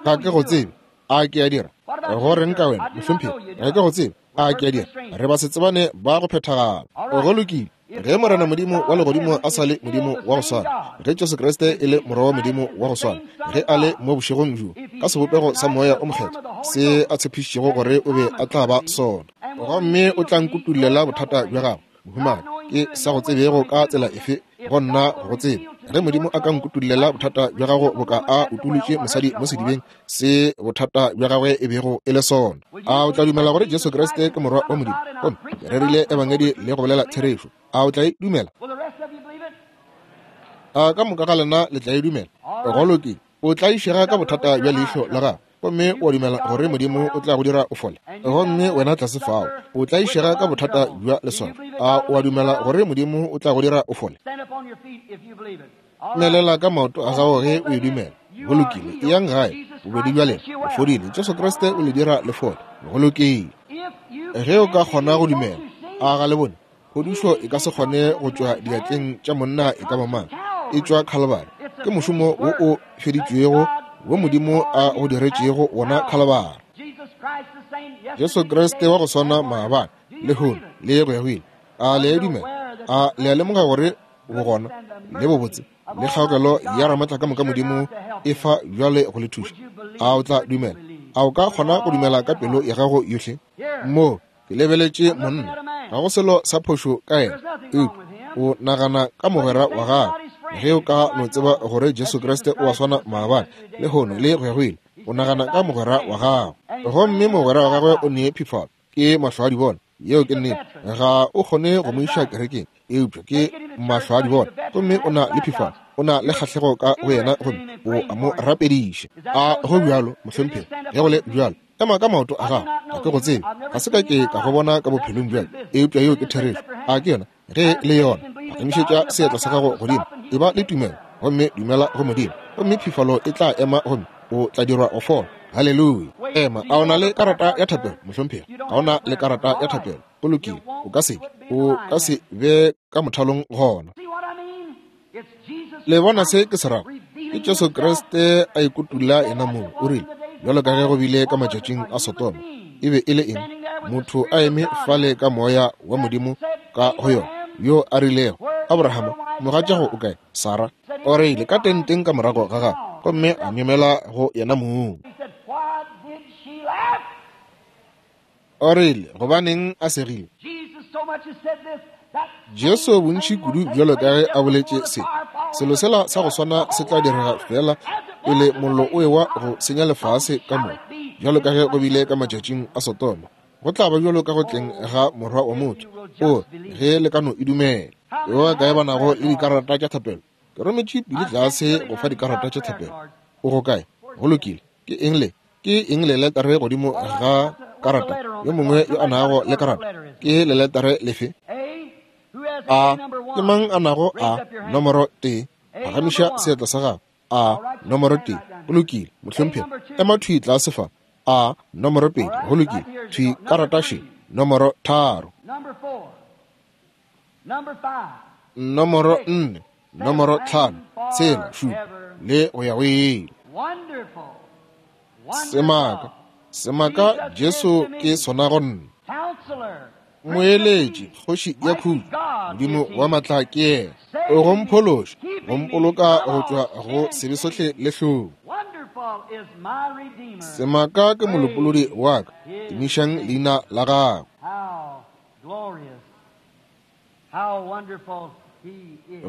Ga ke go tsebe, a ke a dira? Go reng ka wena, mohlomphegi? Ga ke go tsebe, a ke a dira? Re ba se tsebane ba go phethagala. Go lokile. Ge Morena Modimo wa legodimo a sa le Modimo wa go swana, ge Jesu Kriste e le Morwa wa Modimo wa go swana, ge a le mo bošegong bjo ka sebopego sa Moya o Mokgethwa, se a tshepišitšego gore o be a tla ba sona, gomme o tla nkutullela bothata bja gago, mohumagadi, ke sa go tsebego ka tsela efe go nna go tsebe. Ge Modimo a ka nkutullela bothata bja gago boka a utulotše mosadi mo sedibeng se bothata bja gagwe e bego e le sona, a o tla dumela gore Jesu Kriste ke Morwa wa Modimo? Gomme ke rerile ebangedi le go bolela therešo. A o tla e dumela? A ka moka ga lena le tla e dumela? Go lokile. O tlaišega ka bothata bja leihlo la gago, gomme o dumela gore Modimo o tla go dira o fole. Gomme wena tlase fao, o tlaišega ka bothata bja leswafo. A o a dumela gore Modimo o tla go dira o fole? Melela ka maoto a gago ge o e dumela. Go lokile. Eyang gae, bobedi bja lena o fodile. Jesu Kriste o le dira le fole. Go lokile. Ge o ka kgona go dumela, a ga le bone? Phodišo e ka se kgone go tšwa diatleng tša monna e ka ba mang, e tšwa Khalibari. Ke mošomo wo o feditšwego wo Modimo a go diretšego wona Khalibari. Jesu Kriste wa go swana maabane, lehono le go ya go ile. A le a dumela? A le a lemoga gore bogona le bobotse le kgaokelo ya Ramatla ka moka Modimo e fa bjale go le thuša? A o tla dumela? A o ka kgona go dumela ka pelo ya gago yohle? Mo ke lebeletše monna, Ga go selo sa phošo ka yena, eupša o nagana ka mogwera wa gago. Ge o ka no tseba gore Jesu Kriste o a swana maabane, lehono le go ya go ile, o nagana ka mogwera wa gago. Gomme mogwera wa gagwe o ne phifalo, ke mahlo a di bona. Yeo ke nnete. Ga o kgone go mo iša kerekeng, eupša ke mahlo a di bona. Gomme o na le phifalo, o na le kgahlego ka go yena, gomme o a mo rapediša. A go bjalo, mohlomphegi? Ge go le bjalo, ema ka maoto a gago. Ga ke go tsebe, ga se ka ke ka go bona ka bophelong bjale, eupša yeo ke therešo. A ke yona? Ge le yona, phagamišetša seatla sa gago godimo, e ba le tumelo, gomme dumela go Modimo, gomme phifalo e tla ema, gomme o tla dirwa go fola. Haleluya. Ema. A o na le karata ya thapelo, mohlomphegi? Ga o na le karata ya thapelo. Go lokile, o ka se ke, o ka se be ka mothalong gona. Le bona se ke se rago? Ke Jesu Kriste a ikutula yena mong. O rile, bjalo ka ge go bile ka matšatšing a Sodoma, e be e le eng? Motho a eme fale ka moya wa Modimo ka go yona, yo a rilego, Abrahama, mogatšago o kae? Sara. O rile ka tenteng ka morago ga gagwe, gomme a myemela go yena mong. O rile, gobaneng a segile? Jesu bontši kudu bjalo ka ge a boletše se, selo sela sa go swana se tla direga fela pele mollo o ewa go senya lefase ka moka, bjalo ka ge go bile ka matšatšing a Sodoma. Go tla ba bjalo ka go tleng ga Morwa wa motho. O ge le ka no e dumela. Yo a kae ba nago le dikarata tša thapelo? Ke rometše pele tlase go fa dikarata tša thapelo. O go kae? Go lokile. Ke eng le? Ke eng le letare godimo ga karata? Yo mongwe yo a nago le karata, ke le letare lefe? A ke mang a nago a nomoro tee? Phagamiša seatla sa gago. A nomoro tee. Go lokile, mohlomphegi. Ema thwi tlase fa. A nomoro pedi. Go lokile. Thwi karata še. Nomoro tharo. Nomoro nne. Nomoro tlhano. Tshela, šupa, le go ya go ile. Semaka, semaka Jesu ke sona go nna. Moeletši, kgoši ya khutšo, Modimo wa matla ke yena. O go mphološa, go mpoloka go tšwa go sebe sohle le hlong. Semaka ke molopolodi wa ka, tumišang leina la gagwe.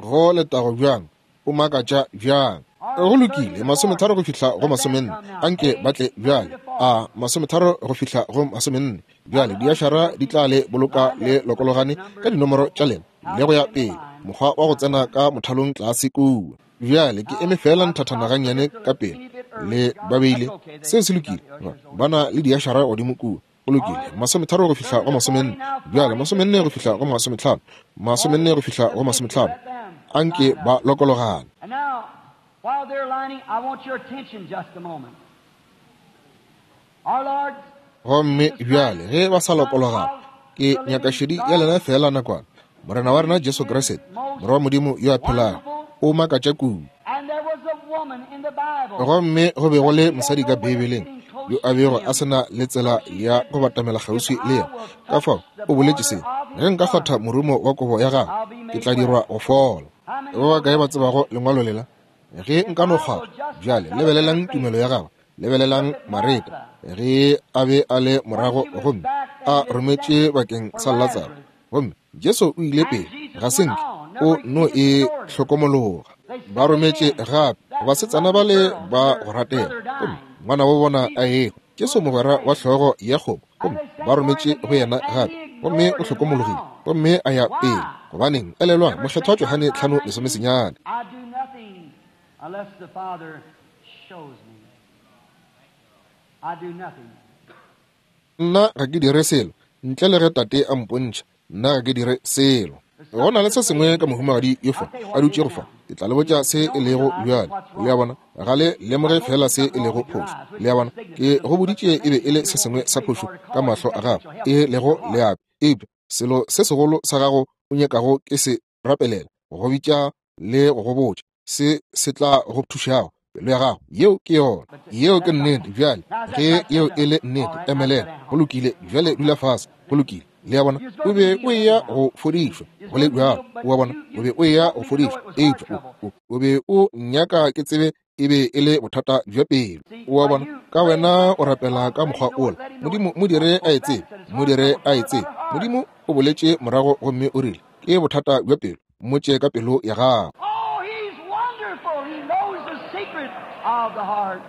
Go letago bjang, o makatša bjang. Go lokile, masometharo go fihla go masomenne. Anke ba tle bjale. A masometharo go fihla go masomenne. Bjale diašara di tla le boloka le lokologane ka dinomoro tša lena le go ya pele, mokgwa wa go tsena ka mothalong tlase kua. Bjale ke eme fela nthathana gannyane ka pele le ba beile. Seo se lokile. Ba na le diašara godimo kua. Go lokile, masometharo go fihla go masomenne. Bjale masomenne go fihla go masometlhano, masomenne go fihla go masometlhano. Anke ba lokologane. While they're lining, I want your attention just a moment. Our Lord Gomme bjale ge ba sa lokologana, ke nyaka šedi ya lena fela nakwana. Morena wa rena Jesu Kriste, Morwa wa Modimo yo a phelago, o makatša kudu. And there was a woman in the Bible. Gomme go be go le mosadi ka Beibeleng yo a bego a se na le tsela ya go batamela kgauswi le yena. Ka fao o boletše se, ge nka kgwatha morumo wa kobo ya gagwe, ke tla dirwa go fola. Ba bakae ba tsebago lengwalo lela? Ge nka no kgwatha. Bjale lebelelang tumelo ya gagwe, lebelelang Mareta ge a be a le morago gomme a rometše bakeng sa Latsaro. Gomme Jesu o ile pele, ga se nke o no e hlokomologa. Ba rometše gape basetsana bale ba go ratega, gomme ngwana wa bona a ehwa. Jesu mogwera wa hlogo ya kgomo, gomme ba rometše go yena gape, gomme o hlokomologile, gomme a ya pele. Gobaneng? Elelwang Mokgethwa Johane tlhano lesomesenyane. I do nothing unless the Father shows me. I do nothing. Nna ga ke dire selo ntle le ge Tate a mpontšha. Nna ga ke dire selo. Go na le se sengwe ka mohumagadi yo fa a dutšego fa. Ke tla le botša se e lego bjale. Le a bona, ga le lemoge fela se e lego phošo. Le a bona, ke go boditše e be e le se sengwe sa phošo ka mahlo a gago, e lego leapi. Eupša selo se segolo sa gago o nyakago ke se rapelela, go bitša le go go botša se se tla go thušago pelo ya gago. Yeo ke yona. Yeo ke nnete. Bjale ge yeo e le nnete, emelela. Go lokile. Bjale dula fase. Go lokile. Le a bona, o be o eya go fodišwa go le bjalo. O a bona, o be o eya go fodišwa, eupša o, o be o nyaka ke tsebe e be e le bothata bja pelo. O a bona, ka wena o rapela ka mokgwa ola. Modimo mo dire a e tsebe, mo dire a e tsebe. Modimo o boletše morago gomme o rile, ke bothata bja pelo, mmotše ka pelo ya gago. Oh, he's wonderful. He knows the secret of the heart.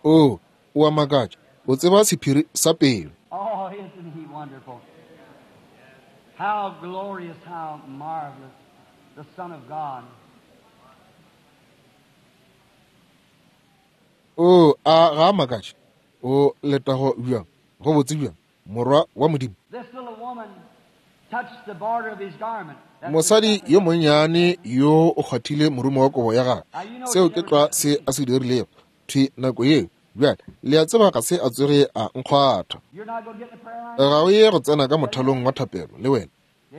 O, o a makatša, o tseba sephiri sa pelo. Oh, isn't he wonderful? How glorious, how marvelous, the Son of God. O, a ga a makatše, o letago bjang, go botse bjang, morwa wa Modimo. This little woman touched the border of his garment. That's Mosadi yo monnyane yo o kgwathile morumo wa kobo ya gagwe. Seo ke tlwa se a se dirilego thwi nako yeo. Bjale le a tseba ga se a tsoge a nkgwatha. You're not going to get in the prayer line? Ga o ye go tsena ka mothalong wa thapelo le wena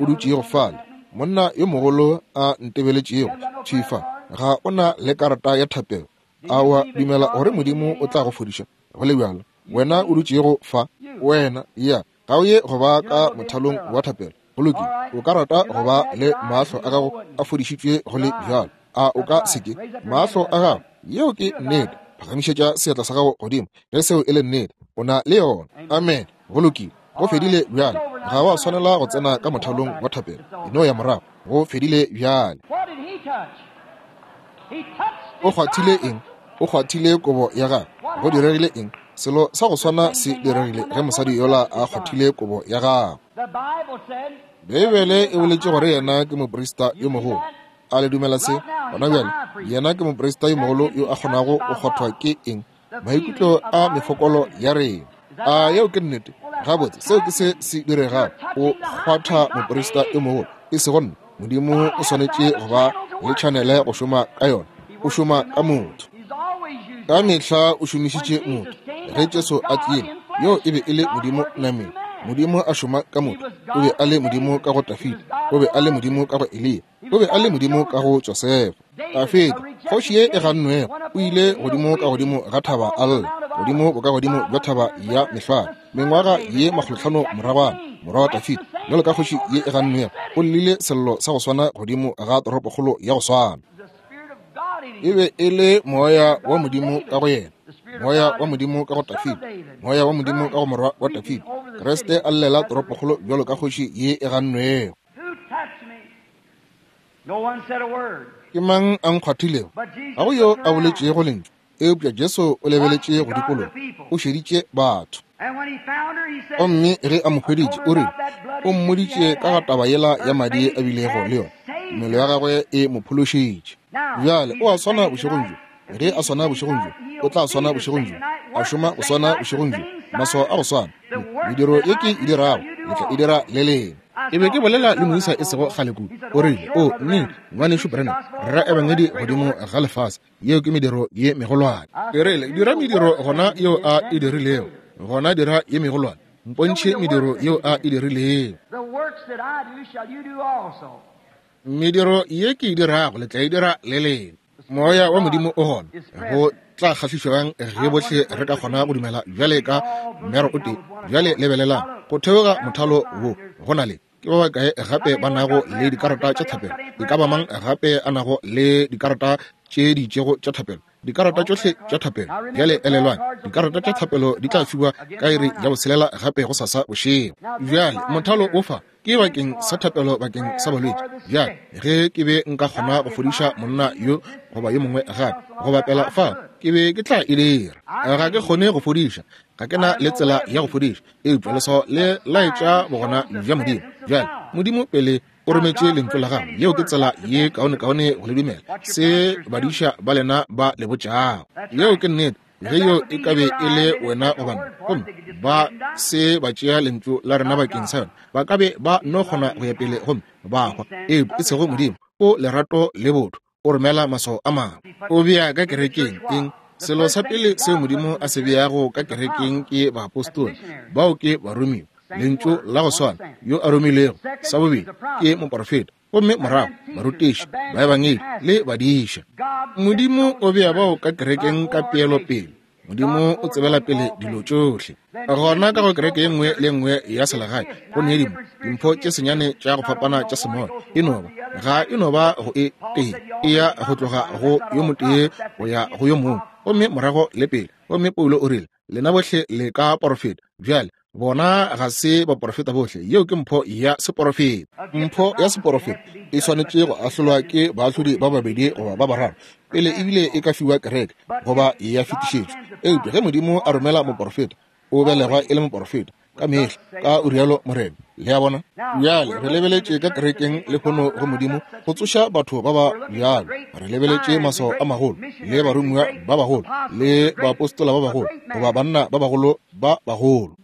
o dutšego fale. Monna yo mogolo a ntebeletšego thwi fa, ga o na le karata ya thapelo. A wa dumela gore Modimo o tla go fodiša? Go le bjalo, wena o dutšego fa, wena ya ga o ye go ba ka mothalong wa thapelo. Go lokile, o ka rata go ba le mahlo a gago a fodišitšwe go le bjalo. A o ka se ke? Mahlo a gago, yeo ke nnete. Phagamišetša seatla sa gago godimo ge seo e le nnete. O na le yona. Amen. Go lokile, go fedile bjale. Ga wa swanela go tsena ka mothalong wa thapelo. E no ya morago, go fedile bjale. What did he touch? He touched O his kgwathile garment. eng? O kgwathile kobo ya gagwe. Go diregile eng? Selo sa go swana se diregile ge mosadi yola a kgwathile kobo ya gagwe. The Bible said Beibele e boletše gore yena ke moprista yo mogolo. A le dumela se? Gona bjale, yena ke moprista yo mogolo yo a kgonago go kgwathwa ke eng? Maikutlo a mefokolo ya rena. A yeo ke nnete? Gabotse, seo ke se se diregago. O kgwatha moprista yo mogolo, e sego nna. Modimo o swanetše go ba le tšhanele go šoma ka yona. O šoma ka motho. he's always used Ka mehla o šomišitše motho. Ge Jesu a tlile, yo e be e le Modimo nameng. Modimo a šoma ka motho. O be a le Modimo ka go Dafida, o be a le Modimo ka go Eliya, o be a le Modimo ka go Josefa. Dafida, kgoši ye e gannwego, o ile godimo ka godimo ga thaba a lla, godimo bokagodimo bja thaba ya mehlware. Mengwaga ye makgolohlano moragwana, morwa wa Dafida, bjalo ka kgoši ye e gannwego, o llile sello sa go swana godimo ga toropokgolo ya go swana. the Spirit of God in E him. be e le moya wa Modimo ka go yena, moya wa Modimo ka go Dafida, moya wa Modimo ka go morwa wa Dafida. Kriste a llela toropokgolo bjalo ka kgoši ye e gannwego. Who touched me? No one said a word. Ke mang a nkgwathilego? But Jesus Ga go yo looked a around. boletšego lentšu, eupša Jesu o lebeletše go dikologa, o šeditše batho. And when he found her, he said, Gomme ge a mo hweditše, o rile, o mmoditše ka ga taba yela ya madi a bilego le yona. Tumelo ya gagwe e mo phološitše. Bjale o a swana bošegong bjo. Ge a swana bošegong bjo, o tla swana bošegong bjo. A šoma go swana bošegong bjo, maswao a go swana. Mediro ye ke e dirago, le tla e dira le lena. E be ke bolela le moisa e sego kgale kudu. O rile, o nnete, ngwanešu Branham, rera ebangedi godimo ga lefase. Yeo ke mediro ye megolwane. Ke rile, dira mediro gona yeo a e dirilego. Gona dira ye megolwane. Mpontšhe mediro yeo a e dirilego. The works that I do shall you do also. Mediro ye ke e dirago le tla e dira le lena. Moya wa Modimo o gona. Go tla kgahlišwang ge bohle re ka kgona go dumela bjale ka mmero o tee. Bjale lebelelang go theoga mothalo wo go na le ke ba bakae gape ba nago le dikarata tša thapelo. E ka ba mang gape a nago le dikarata tše di itšego tša thapelo? Dikarata tšohle tša thapelo. Bjale elelwang, dikarata tša thapelo di tla fiwa ka iri ya botshelela gape go sasa bošego. Bjale mothalo o fa ke bakeng sa thapelo bakeng sa balwetši. Bjale ge ke be nka kgona go fodiša monna yo goba yo mongwe gape go bapela fa, ke be ke tla e dira. Ga ke kgone go fodiša, ga ke na le tsela ya go fodiša, eupša leswao le laetša bogona bja Modimo. Bjale Modimo pele o rometše lentšu la gagwe, yeo ke tsela ye kaonekaone go le dumela se badiša ba lena ba le botšago. Yeo ke nnete. Ge yo e ka be e le wena goba nna, gomme ba se ba tšea lentšu la rena bakeng sa yona, ba ka be ba no kgona go ya pele gomme ba hwa. Eupša e sego Modimo, o lerato le botho, o romela maswao a mangwe. O bea ka kerekeng eng? Selo sa pele seo Modimo a se beago ka kerekeng ke baapostola, bao ke baromiwa, lentšu la go swana yo a romilego. Sa bobedi ke moprofeta, gomme morago barutiši, baebangedi le badiša. Modimo o bea bao ka kerekeng ka peelo pele. Modimo o tsebela pele dilo tšohle. Gona ka go kereke ye nngwe le nngwe ya selegae go ne dimo dimpho tše senyane tša go fapana tša semoya. E no ba ga e no ba go e tee, e ya go tloga go yo motee go ya go yo mongwe, gomme morago le pele. Gomme Paulo o rile, Lena bohle le ka porofeta. Bjale, bona ga se baporofeta bohle. Yeo ke mpho ya seporofeta. Mpho ya seporofeta e swanetše go ahlolwa ke baahlodi ba babedi goba ba bararo pele ebile e ka fiwa kereke goba ya fetišetšwa. Eupša ge Modimo a romela moporofeta, o belegwa e le moporofeta ka mehla, ka o rialo Morena. Le a bona? Bjale re lebeletše ka kerekeng lehono go Modimo go tsoša batho ba ba bjalo. Re lebeletše maswao a magolo le baromiwa ba bagolo le baapostola ba bagolo goba banna ba bagolo ba bagolo.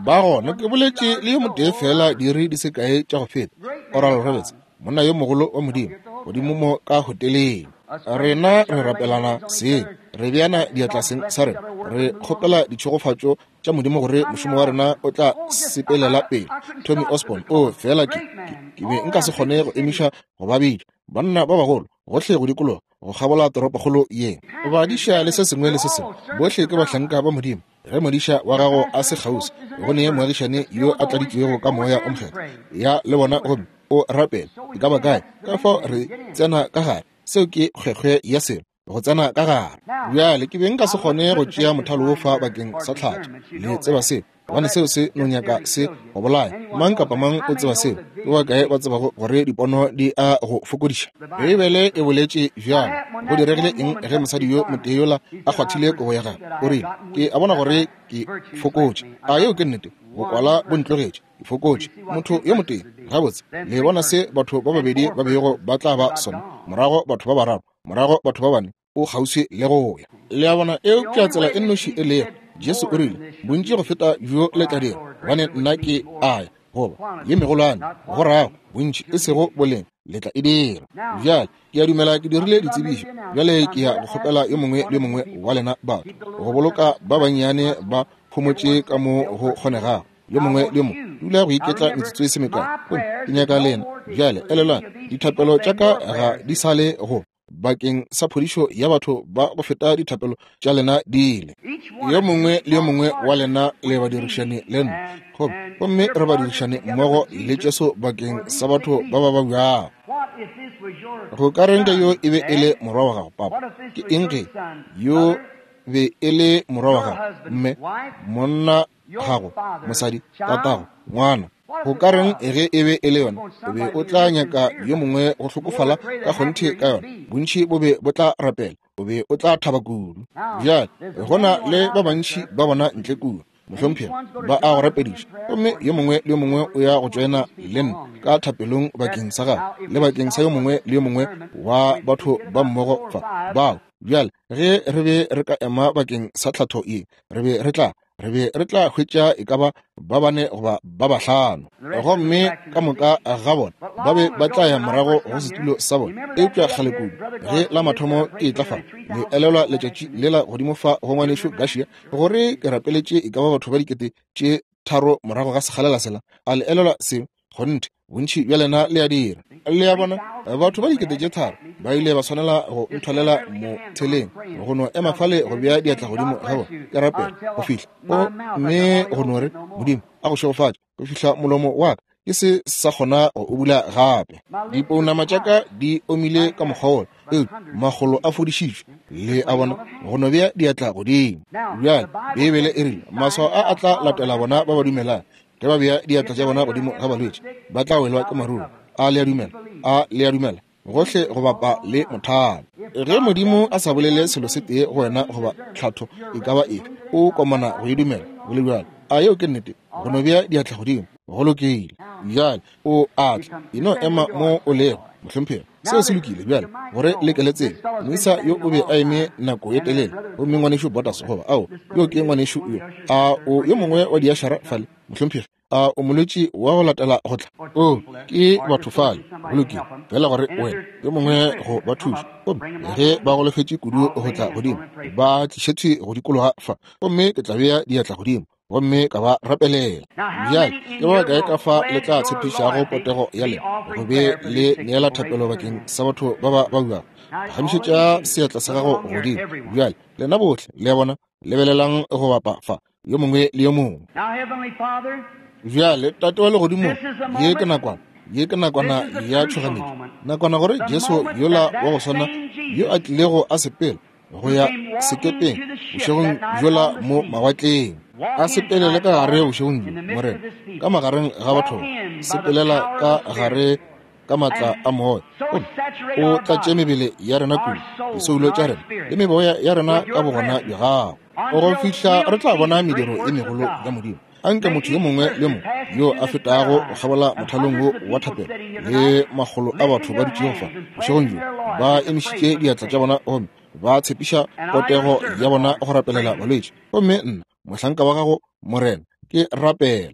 Ba gona ke boletše le yo motee fela diiri di se kae tša go feta, Oral Roberts, monna yo mogolo wa Modimo, godimo mo ka hoteleng. Rena re rapelana seng, re beana diatla seng sa rena, re kgopela ditšhegofatšo tša Modimo gore mošomo wa rena o tla sepelela pele. Tommy Osborne, o fela ke, ke, ke be nka se kgone go emiša go ba bitša banna ba bagolo gohle go dikologa go kgabola toropokgolo ye, badiša le se sengwe le se sengwe. Bohle ke bahlanka ba Modimo. Ge modiša wa gago a se kgauswi, go ne moagišane yo a tladitšwego ka moya o mokgethwa, ya le bona gomme o rapela e ka ba kae. Ka fao re tsena ka gare. Seo ke kgwekgwe ya selo, go tsena ka gare. Bjale ke be nka se kgone go tšea mothalo wo fa bakeng sa tlhatso. Le tseba seo, gobane seo se no nyaka se go bolaya. Mang kapa mang o tseba seo. Ke ba kae ba tsebago gore dipono di a go fokodiša? Beibele e boletše bjalo. Go diregile eng ge mosadi yo motee yola a kgwathile kobo ya gagwe? O rile, ke a bona gore ke fokotše. A yeo ke nnete? Bokwala bo ntlogetše, ke fokotše. Motho yo motee. Gabotse, le bona se batho ba babedi ba bego ba tla ba sona, morago batho ba bararo, morago batho ba bane, o kgauswi le go ya. Le a bona? Eupša tsela e nnoši e lego, Jesu o rile, bontši go feta bjo le tla dira, gobane nna ke a ya, goba ye megolwane, go rago bontši e sego boleng, le tla e dira. Bjale ke a dumela ke dirile ditsebišo. Bjale ke ya go kgopela yo mongwe le yo mongwe wa lena batho go boloka ba bannyane ba phomotše ka mo go kgonegago. Yo mongwe le yo mongwe dula go iketla metsotso e se mekae. Gomme ke nyaka lena bjale, elelwang, dithapelo tša ka ga di sa le go bakeng sa phodišo ya batho ba go feta dithapelo tša lena di ile. Yo mongwe le yo mongwe wa lena le badirišane le nna, gomme re badirišane mmogo le Jesu bakeng sa batho ba ba babjago. Go ka reng ka yo e be e le morwa wa gago, papa? Ke eng ge yo be e le morwa wa gago, mme, monna gago, mosadi, tatago, ngwana? Go ka reng ge e be e le yona? O be o tla nyaka yo mongwe go hlokofala ka kgonthe ka yona. Bontši bo be bo tla rapela, o be o tla thaba kudu. Bjale go na le ba bantši ba bona ntle kua, mohlomphegi, ba a go rapediša, gomme yo mongwe le yo mongwe o ya go tšoena le nna ka thapelong bakeng sa gagwe le bakeng sa yo mongwe le yo mongwe wa batho ba mmogo fa bao. Bjale ge re be re ka ema bakeng sa tlhatho ye, re be re tla re be re tla hwetša e ka ba ba bane goba ba bahlano, gomme ka moka ga bona ba be ba tla ya morago go setulo sa bona. Eupša kgale kudu ge la mathomo ke tla fa, le elelwa letšatši lela godimo fa go ngwanešo Garcia, gore ke rapeletše e ka ba batho ba dikete tše tharo morago ga sekgalela sela. A le elelwa seo? Kgonthe, bontši bja lena le a dira. Le a bona, batho ba dikete tše tharo ba ile ba swanela go nthwalela motheleng go no ema fale go bea diatla godimo ga bona ke rapela go fihla gomme go no re, Modimo a go šegofatše, go fihla molomo wa ka ke se sa kgona go o bula gape. Dipounama tša ka di omile ka mokgwa wola, eupša makgolo a fodišitšwe. Le a bona, go no bea diatla godimo. Bjale Beibele e rile maswao a a tla latela bona ba ba dumelang. Ge ba bea diatla tša bona godimo ga balwetši, ba tla welwa ke maruru. A le a dumela? A le a dumela? Gohle go bapa le mothalo. Ge Modimo a sa bolele selo se tee go wena goba tlhatho e ka ba efe, o komana go e dumela go le bjalo. A yeo ke nnete? Go no bea diatla godimo, go lokile. Bjale o a tla, e no ema mo o lego, mohlomphegi. Seo se lokile. Bjale gore le ke le tsebe, moisa yo o be a eme nako ye telele, gomme ngwanešu Botas, goba ao, yo ke ngwanešu yo, a o yo mongwe wa diašara fale, mohlomphegi, a o molwetši wa go latela go tla? O ke batho fale, go lokile. Fela gore wena yo mongwe go ba thuša, gomme ge ba golofetše kudu go tla godimo, ba tlišetše go dikologa fa, gomme ke tla bea diatla godimo gomme ka ba rapelela. Bjale ke ba kae ka fa le tla tshepišago potego ya lena go be le neela thapelo bakeng sa batho ba ba babjago? Phagamišetša seatla sa gago godimo. Bjale lena bohle le a bona, lebelelang go bapa fa, yo mongwe le yo mongwe. Bjale Tate wa legodimo, ye ke nakwana, ye ke nakwana ya tšhoganetšo, nakwana gore Jesu yola wa go swana yo a tlilego a sepela go ya sekepeng bošegong bjola mo mawatleng. A sepelele ka gare bošegong bjo, Morena, ka magareng ga batho, sepelela ka gare ka matla a moya, gomme o tlatše mebele ya rena kudu, disoulo tša rena le meboya ya rena ka bogona bja gago, go fihla re tla bona mediro e megolo ya Modimo. Anke motho yo mongwe le mongwe yo a fetago go kgabola mothalong wo wa thapelo le makgolo a batho ba dutšego fa bošegong bjo ba emišitše diatla tša bona gomme ba tshepiša potego ya bona go rapelela balwetši. Gomme nna, mohlanka wa gago, Morena, ke rapela.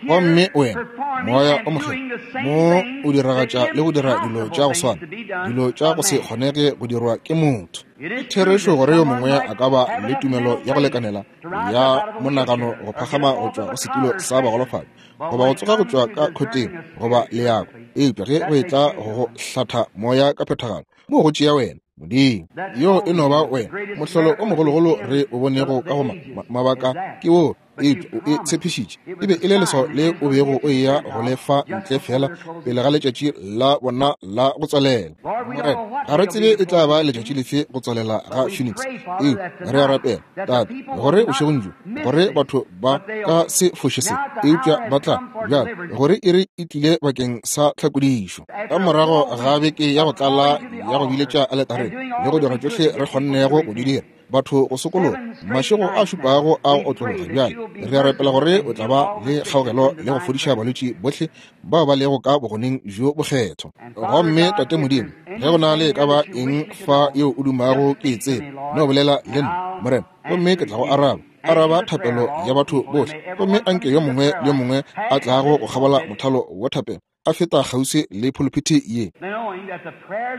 Gomme wena, Moya o Mokgethwa, mo o diragatša le go dira dilo tša go swana, dilo tša go se kgonege go dirwa ke motho. Ke therešo gore yo mongwe a ka ba le tumelo ya go lekanela ya monagano go phagama go tšwa go setulo sa bagolofadi, goba go tsoga go tšwa ka khoteng goba leako, eupša ge go etla go go hlatha moya ka phethagalo, mo go tšea wena, Modimo. Yo e no ba wena. Mohlolo o mogologolo re o bonego ka go mabaka ke wo, eupša o e tshepišitše. E be e le leswao le o bego o eya go le fa ntle fela pele ga letšatši la bona la go tswalela. Morena, ga re tsebe e tla ba letšatši lefe go tswalela ga Phoenix, eupša re a rapela, Tate, gore bošegong bjo, gore batho ba ka se foše se, eupša ba tla bjale gore iri e tlile bakeng sa tlhakodišo. Ka morago ga beke ya go tlala ya go biletša aletareng le go dira tšohle re kgonnego go di dira, batho go sokologa, mašego a šupago a go otlologa bjale, re a rapela gore o tla ba le kgaogelo le go fodiša balwetši bohle bao ba lego ka bogoneng bjo bokgethwa. Gomme Tate Modimo, ge go na le e ka ba eng fa yeo o dumago ke e tsebe, no bolela le nna, Morena, gomme ke tla go araba. Araba thapelo ya batho bohle, gomme anke yo mongwe le yo mongwe a tlago go kgabola mothalo wa thapelo a feta kgauswi le phuluphithi ye,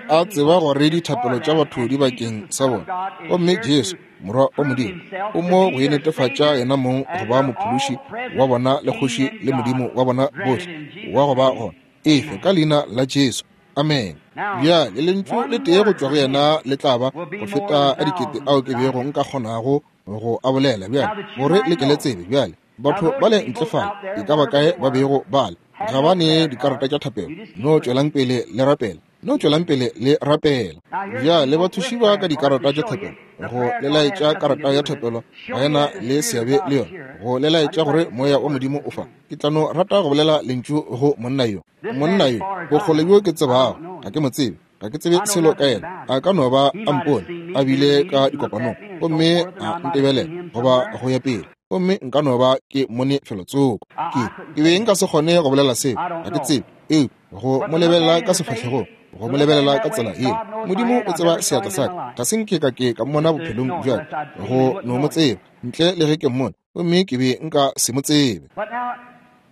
a tseba gore dithapelo tša batho di bakeng sa bona. Gomme Jesu, Morwa wa Modimo, o mo go netefatša yena mong go ba mophološi wa bona le kgoši le Modimo wa bona bohle wa go ba gona. Efe ka leina la Jesu. Amen. Bjale lentšu le tee go tšwa go yena le tla ba go feta a dikete ao ke bego nka kgonago go a bolela bjale, gore le ke le tsebe. Bjale batho ba le ntle fale, e ka ba kae ba bego ba le, ga ba ne dikarata tša thapelo, no tšwelang pele le rapela, no tšwelang pele le rapela. Bjale bathuši ba ka dikarata tša thapelo, go le laetša karata ya thapelo ga ena le seabe le yona, go le laetša gore moya wa Modimo o fa. Ke tla no rata go bolela lentšu go monna yo. Monna yo, bokgole bjo ke tsebago, ga ke mo tsebe, ga ke tsebe selo ka yena. A ka no ba a mpone a bile ka dikopanong gomme a ntebelela goba go ya pele, gomme nka no ba ke mone felotsoko. Ke ke be nka se kgone go bolela seo, ga ke tsebe, eupša go mo lebelela ka sefahlegong, go mo lebelela ka tsela yeo, Modimo o tseba seatla sa ka, ga se nke ka ke ka mmona bophelong bja ka, go no mo tseba ntle le ge ke mmone, gomme ke be nka se mo tsebe.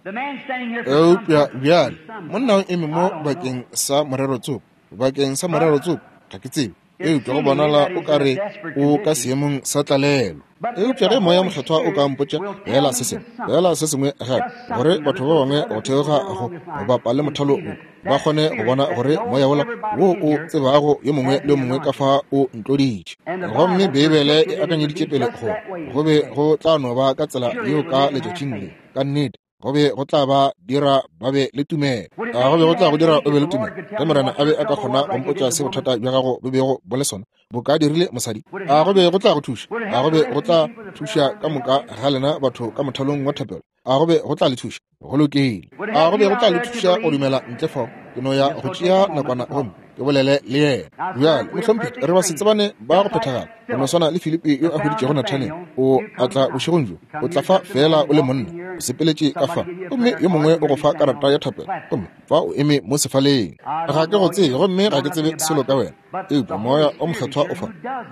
Eupša bjale monna o eme mo bakeng sa morero tsoko, bakeng sa morero tsoko, ga ke tsebe, eupša go bonala o ka re o ka seemong sa tlalelo. Eupša ge Moya Mokgethwa o ka mpotša bolela se sengwe, bolela se sengwe gape, gore batho ba bangwe go theoga go bapa le mothalo wo ba kgone go bona gore moya wola wo o tsebago yo mongwe le yo mongwe ka fa o ntloditše. Gomme Beibele e akanyeditše pele gore go be go tla no ba ka tsela yeo ka letšatšing le, ka nnete go be go tla ba dira ba be le tumelo. A go be go tla go dira o be le tumelo ge Morena a be a ka kgona go mpotša se bothata bja gago bo bego bo le sona, bo ka dirile mosadi? A go be go tla go thuša? A go be go tla thuša ka moka ga lena batho ka mothalong wa thapelo? A go be go tla le thuša? Go lokile. A go be go tla le thuša go dumela ntle fao? Ke no ya go tšea nakwana gomme ke bolele le yena. Bjale, mohlomphegi, re ba se tsebane ba go phethagala, go no swana le Filipi yo a hweditšego Nathanael. O a tla bošegong bjo, o tla fa fela o le monna, o sepeletše ka fa, gomme yo mongwe o go fa karata ya thapelo, gomme fa o eme mo sefaleng. Ga ke go tsebe, gomme ga ke tsebe selo ka wena, eupša Moya o Mokgethwa o fa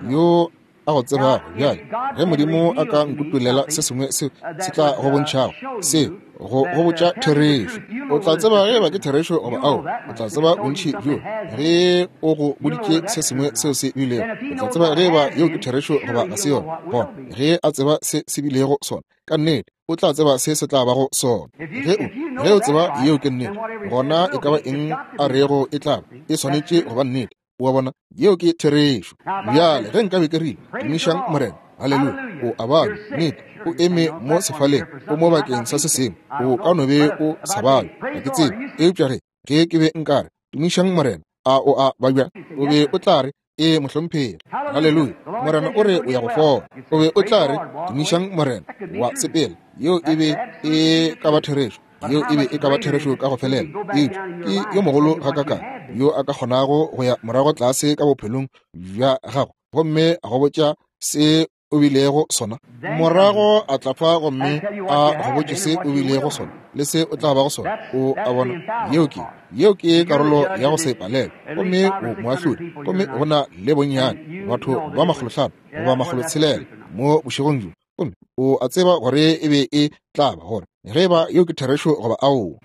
yo a go tsebago. Bjale ge Modimo a ka nkutulela se sengwe se se tla go bontšhago se go go botša therešo, o tla tseba ge ba ke therešo goba ao. O tla tseba bontši bjo ge o go boditše se sengwe seo se bilego, o tla tseba ge ba yeo ke therešo goba ga se yona. Gona ge a tseba se se bilego sona, ka nnete o tla tseba se se tla bago sona. Ge o ge o tseba yeo ke nnete, gona e ka ba eng a rego e tla ba, e swanetše go ba nnete. Wa bona, yeo ke therešo. Bjale ge nka be ke rile, tumišang Morena, haleluya, o a balwa, nnete, o eme mo sefaleng, o mo bakeng sa se sengwe, o ka no be o sa balwe, ga ke tsebe. Eupša ge ge ke be nka re, tumišang Morena, a o a babja? O be o tla re, Ee, mohlomphegi. Haleluya. Morena o re o ya go fola. O be o tla re, tumišang Morena, wa sepela. Yeo e be e ka ba therešo. Yeo e be e ka ba therešo ka go felela. Eupša ke yo mogolo gakakang yo a ka kgonago go ya morago tlase ka bophelong bja gago gomme a go botša se o bilego sona, morago a tla fa gomme a go botše se o bilego sona le se o tla bago sona. O a bona, yeo ke yeo ke karolo ya go se palelwe. Gomme o moahlodi, gomme go na le bonnyane batho ba makgolohlano goba makgolotshelela mo bošegong bjo, gomme o a tseba gore e be e tla ba gore ge ba yeo ke therešo goba aowa.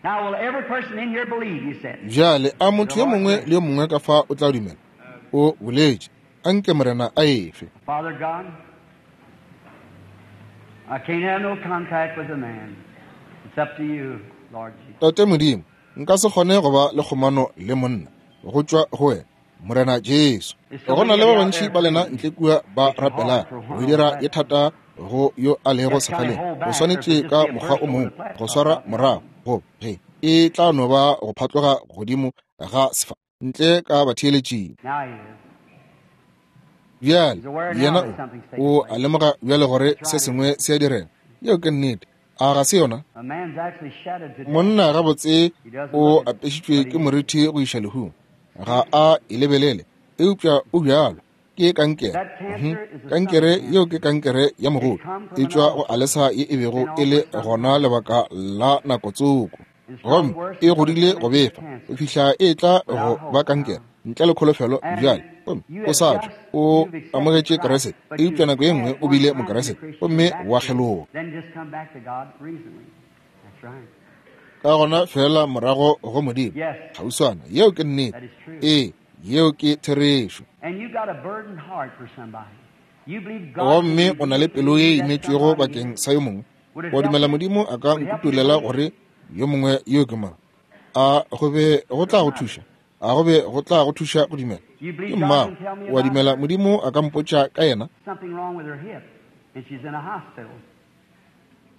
Bjale a motho yo mongwe le yo mongwe ka fa o tla dumela? O boletše, anke Morena a efe. I can't have no contact with a man. It's up to you, Lord Jesus. Tate Modimo, nka se kgone go ba le kgomano le monna go tšwa go wena, Morena Jesu. Go na le ba bantši ba lena ntle kua ba rapelang go dira ye thata go yo a lego sefaleng. O swanetše ka mokgwa o mongwe go swara morago go ge e tla no ba go phatloga godimo ga sefa ntle ka batheeletšing. Bjale yena o a lemoga bjale gore se sengwe se a direga. Yeo ke nnete. A ga se yona? Monna gabotse o apešitšwe ke morithi go iša lehung. Ga a e lebelele, eupša o bjalo. Ke kankere. Kankere yeo ke kankere ya mogodu. E tšwa go alesa ye e bego e le gona lebaka la nako tsoko. Gomme e godile go befa go fihla e tla go ba kankere ntle le kholofelo bjale. Gomme o sa tšwa o amogetše Kriste, eupša nako ye nngwe o bile Mokriste gomme wa kgeloga. Ka gona fela morago go Modimo kgauswana. Yeo ke nnete. Ee, yeo ke therešo. Gomme o na le pelo ye imetšwego bakeng sa yo mongwe. Wa dumela Modimo a ka nkutulela gore yo mongwe yo ke mang? A go be go tla go thuša? A go be go tla go thuša go dumela? Ke mmago. Wa dumela Modimo a ka mpotša ka yena?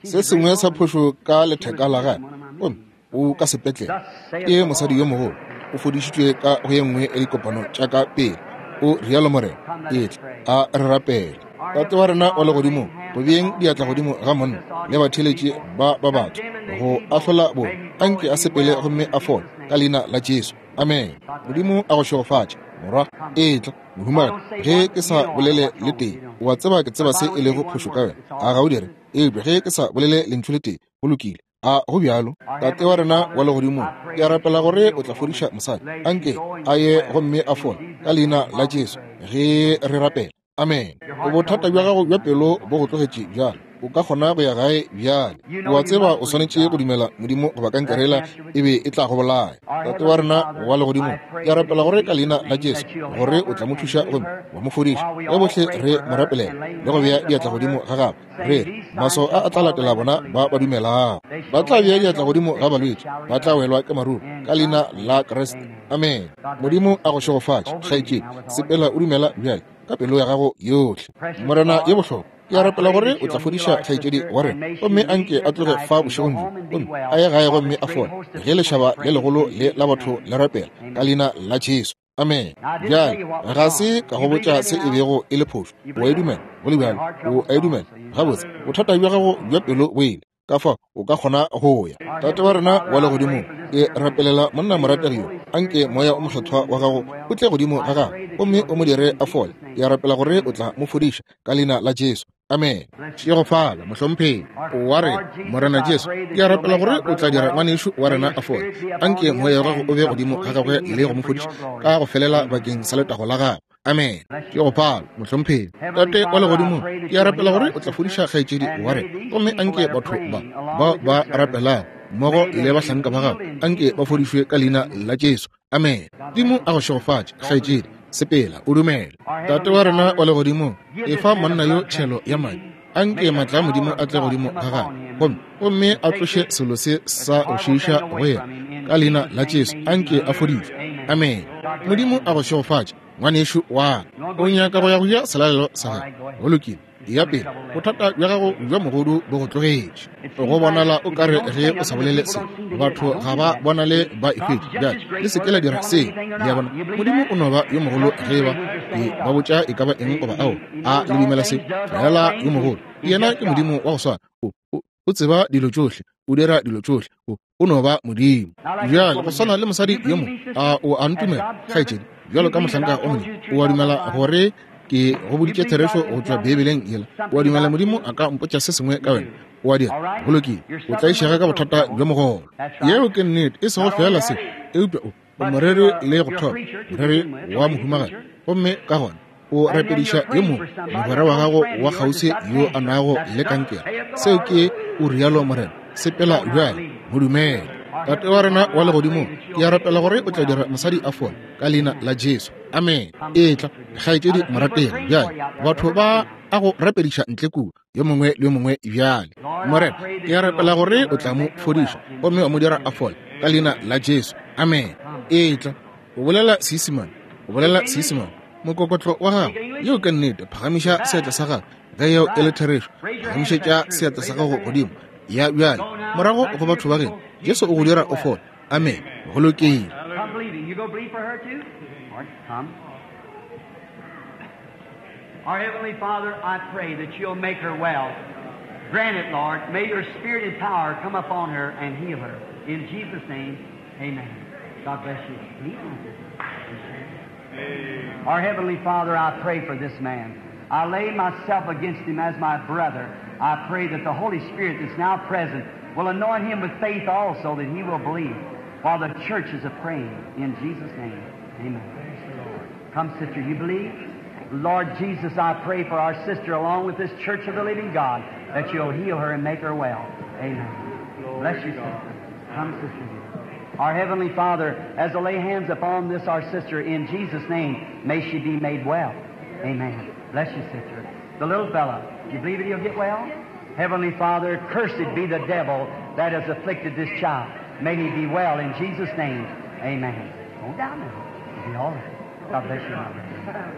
Se sengwe sa phošo ka letheka la gagwe, gomme o ka sepetlele. Ke mosadi yo mogolo, o fodišitšwe ka go ye nngwe ya dikopano tša ka pele. O rialo Morena. Etla, a re rapele. Tate wa rena wa legodimong, go beeng diatla godimo ga monna le batheeletši ba ba batho go ahlola bona, anke a sepele gomme a fole ka leina la Jesu. Amen. Modimo a go šegofatše, morwa. Etla, mohumagadi. Ge ke sa bolele le tee, o a tseba ke tseba se e lego phošo ka wena. A ga o dire? Eupša ge ke sa bolele lentšu le tee, go lokile. A go bjalo? Tate wa rena wa legodimong, ke a rapela gore o tla fodiša mosadi. Anke a ye gomme a fole ka leina la Jesu ge re rapela. Amen. Bothata bja gago bja pelo bo go tlogetše bjale. O ka kgona go ya gae bjale. O a tseba o swanetše go dumela Modimo goba kankerela e be e tla go bolaya. Tate wa rena wa legodimong, ke a rapela gore ka leina la Jesu gore o tla mo thuša gomme wa mo fodiša. Ge bohle re mo rapelela le go bea diatla godimo ga gagwe, re re maso a a tla latela bona ba ba dumelago. Ba tla bea diatla godimo ga balwetši, ba tla welwa ke maruru ka leina la Kriste. Amen. Modimo a go šegofatše, kgaetšedi. Sepela o dumela bjale ka pelo ya gago yohle. Morena ye bohlokwa, ke a rapela gore o tla fodiša kgaetšedi wa rena, gomme anke a tloge fa bošegong bjo, gomme a ye gae gomme a fole, ge lešaba le legolo le la batho le rapela ka leina la Jesu. Amen. Bjale ga se ka go botša se e bego e le phošo. O a e dumela? Go le bjalo, o a e dumela? Gabotse, bothata bja gago bja pelo bo ile. Ka fa o ka kgona go ya. Tate wa rena wa legodimong, ke rapelela monna morategi yo. Anke moya o mokgethwa wa gago o tle godimo ga gagwe gomme o mo dire a fole. Ke a rapela gore o tla mo fodiša ka leina la Jesu. Amen. Šegofala, mohlomphegi wa rena Morena Jesu. Ke a rapela gore o tla dira ngwanešu wa rena a fole. Anke moya wa gago o be godimo ga gagwe le go mo fodiša ka go felela bakeng sa letago la gagwe. Amen. Ke go phala, mohlomphegi. Tate wa legodimong, ke a rapela gore o tla fodiša kgaetšedi wa rena, gomme anke batho ba ba ba rapelago mmogo le bahlanka ba gago, anke ba fodišwe ka leina la Jesu. Amen. Modimo a go šegofatše, kgaetšedi. Sepela o dumele. Tate wa rena wa legodimong, efa monna yo tšhelo ya madi. Anke matla a Modimo a tle godimo ga gagwe, gomme gomme a tloše selo se sa go šiiša go yena ka leina la Jesu. Anke a fodišwe. Amen. Modimo a go šegofatše, ngwanešu wa ka. O nyaka go ya go ja selalelo sa gago? Go lokile, ya pele. Bothata bja gago bja mogodu bo go tlogetše. Go bonala o kare ge o sa bolele se, batho ga ba bonale ba e hwetše. Bjale le se ke la dira seo. Le a bona, Modimo o no ba yo mogolo ge ba Ke ba botša e ka ba eng goba ao. A le dumela se? Fela yo mogolo. Yena ke Modimo wa go swana. O, o, o tseba dilo tšohle, o dira dilo tšohle. O, o no ba Modimo. Bjale go swana le mosadi yo mongwe, a o a ntumela, kgaetšedi, bjalo ka mohlanka wa Modimo, o a dumela gore ke go boditše therešo go tšwa Beibeleng yela? O a dumela Modimo a ka mpotša se sengwe ka wena? O a dira? Go lokile. O tlaišega ka bothata bjo mogolo. Yeo ke nnete, e sego fela se, eupša o, o moreri le go thoma, moreri wa mohumagadi. Gomme ka gona o rapediša yo mongwe, mogwera wa gago wa kgauswi yo a nago le kankere. Seo ke o rialo Morena. Sepela bjale, mo dumele. Tate wa rena wa legodimong, ke a rapela gore o tla dira mosadi a fole ka leina la Jesu. Amen. Etla, kgaetšedi morategi. Bjale batho ba a go rapediša ntle kua, yo mongwe le yo mongwe bjale. Morena, ke a rapela gore o tla mo fodiša gomme wa mo dira a fole ka leina la Jesu. Amen. Etla, o bolela Seisemane, o bolela Seisemane. Mokokotlo wa gago, yeo ke nnete. Phagamiša seatla sa gago ge yeo e le therešo. Phagamišetša seatla sa gago godimo. Ya bjale, morago go batho ba geno, Jesu o go dira o fole. Amen. Go lokile. Come believing. You go believe for her too? All right, come. Our Heavenly Father, I pray that you'll make her well. Grant it, Lord. May your spirit and power come upon her and heal her. In Jesus' name, amen. God bless you. Believe on this. Our Heavenly Father, I pray for this man. I lay myself against him as my brother. I pray that the Holy Spirit that's now present will anoint him with faith also, that he will believe, while the church is a-praying. In Jesus' name, amen. Come, sister, you believe? Lord Jesus, I pray for our sister along with this church of the living God, that you'll heal her and make her well. Amen. Bless you, sister. Come, sister. Our Heavenly Father, as I lay hands upon this, our sister, in Jesus' name, may she be made well. Amen. Bless you, sister. The little fella, do you believe that he'll get well? Heavenly Father, cursed be the devil that has afflicted this child. May he be well in Jesus' name. Amen. Go down now. It'll be all right. God bless you, my brother.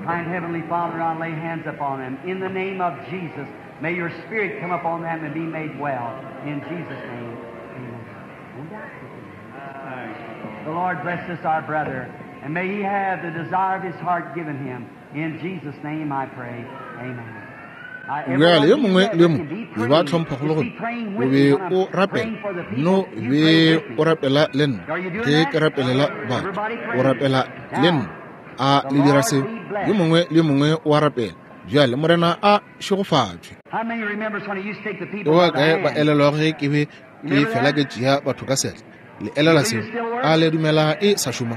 Kind Heavenly Father, I lay hands upon them. In the name of Jesus, may your spirit come upon them and be made well. In Jesus' name. Amen. Go down. The Lord bless this, our brother, and may he have the desire of his heart given him. In Jesus' name I pray. Amen. Bjale yo mongwe le yo mongwe e ba tlhomphagolo gore o be o rapela, no be o rapela le nna ge ke rapelela batho, o rapela le nna. A le dira seo? Yo mongwe le yo mongwe o a rapela. Bjale Morena a šegofatšwe. How many remembers when he used to take the Ke people ba by the kae ba hand? elelwa ge ke be ke fela ke tšea batho ka seatla? Le elelwa seo? A le dumela e sa šoma?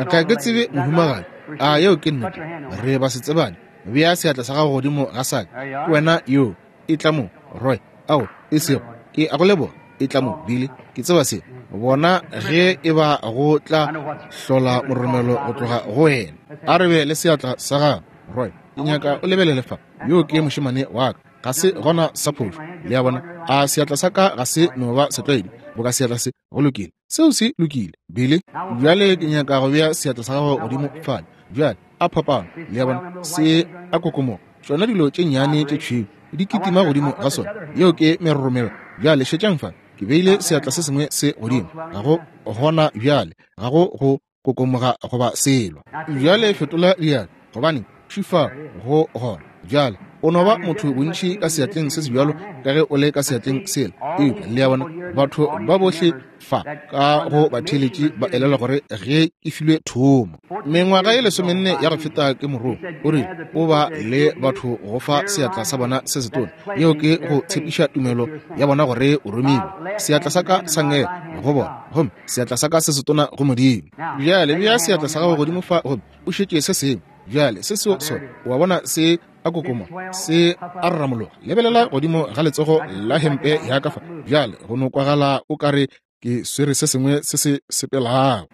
Ga ke tsebe mohumagadi. A yeo ke nnete? Re ba se tsebane. Bea seatla sa gago godimo ga sa ka. Ke wena yo. E tla mo, Roy. Ao, e sego. Ke a go leboga. E tla mo, Billy. Ke tseba se. Bona ge e ba go tla hlola moromelo go tloga go wena. A re be le seatla sa gago, Roy. Ke nyaka o lebelele fa. Yo ke mošemane wa ka. Ga se gona sa phošo. Le a bona? A seatla sa ka ga se no ba setlwaedi boka seatla se? Go lokile. Seo se lokile, Billy. Bjale ke nyaka go bea seatla sa gago godimo fale. Bjale a phapano. Le a bona? Se a kokomoga. Tšona dilo tše nnyane tše tšhweu di kitima godimo ga sona. Yeo ke meroromelo. Bjale šetšang fa. Ke beile seatla se sengwe se godimo. Ga go gona bjale. Ga go go kokomoga goba selo. Bjale fetola diatla, gobane šifa go gona. Bjale o no ba motho bontši ka seatleng se se bjalo ka ge o le ka seatleng sela. Eupša le a bona, batho ba bohle fa ka go batheeletši ba elelwa gore ge ke filwe thomo mengwaga ye lesomenne ya go feta ke morongwa, o rile o ba le batho go fa seatla sa bona se setona. Yeo ke go tshepiša tumelo ya bona gore o romilwe. Seatla sa ka sa ngele go bona, gomme seatla sa ka se setona go Modimo. Bjale bea seatla sa gago godimo fa gomme o šetše se sengwe. Bjale se seo sona, o a bona se a kokoma, se a rramologa. Lebelela godimo ga letsogo la hempe ya ka fa. Bjale go no kwagala o kare ke swere se sengwe se se sepelago.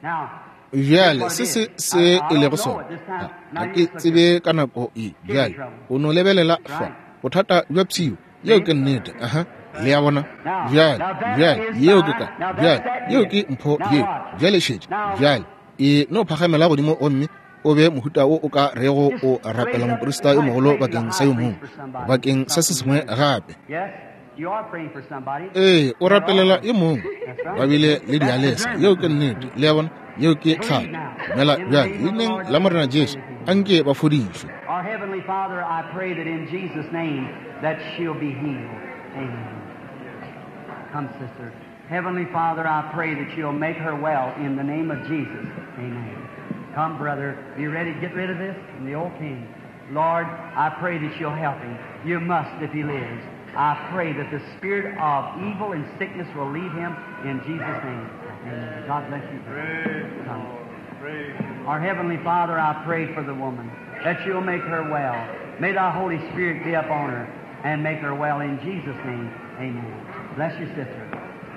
Bjale se se se e lego sona, ga ke tsebe ka nako e. Bjale o no lebelela fa, bothata bja pshio. Yeo ke nnete. Aha, le a bona? Bjale, bjale yeo ke ka. Bjale yeo ke mpho yeo. Bjale šetše. Bjale e no phagamela godimo gomme o be mohuta wo o ka rego o rapela moprista yo mogolo bakeng sa yo mongwe, bakeng sa se sengwe gape. Yes. Ee, o rapelela e mongwe. Ba bile le dialesa. Yeo ke nnete. Le a bona? Yeo ke tlhako. Dumela bjale leineng la Morena Jesu, anke ba fodišwe. Our Heavenly Father, I pray that in Jesus' name that she'll be healed. Amen. Come, sister. Heavenly Father, I pray that you'll make her well in the name of Jesus. Amen. Come, brother. Be ready to get rid of this and the old king. Lord, I pray that you'll help him. You must if he lives. I pray that the spirit of evil and sickness will leave him in Jesus' name. Amen. God bless you. Praise Come. Lord. Praise Our Heavenly Father, I pray for the woman, that you'll make her well. May thy Holy Spirit be upon her and make her well in Jesus' name. Amen. Bless you, sister.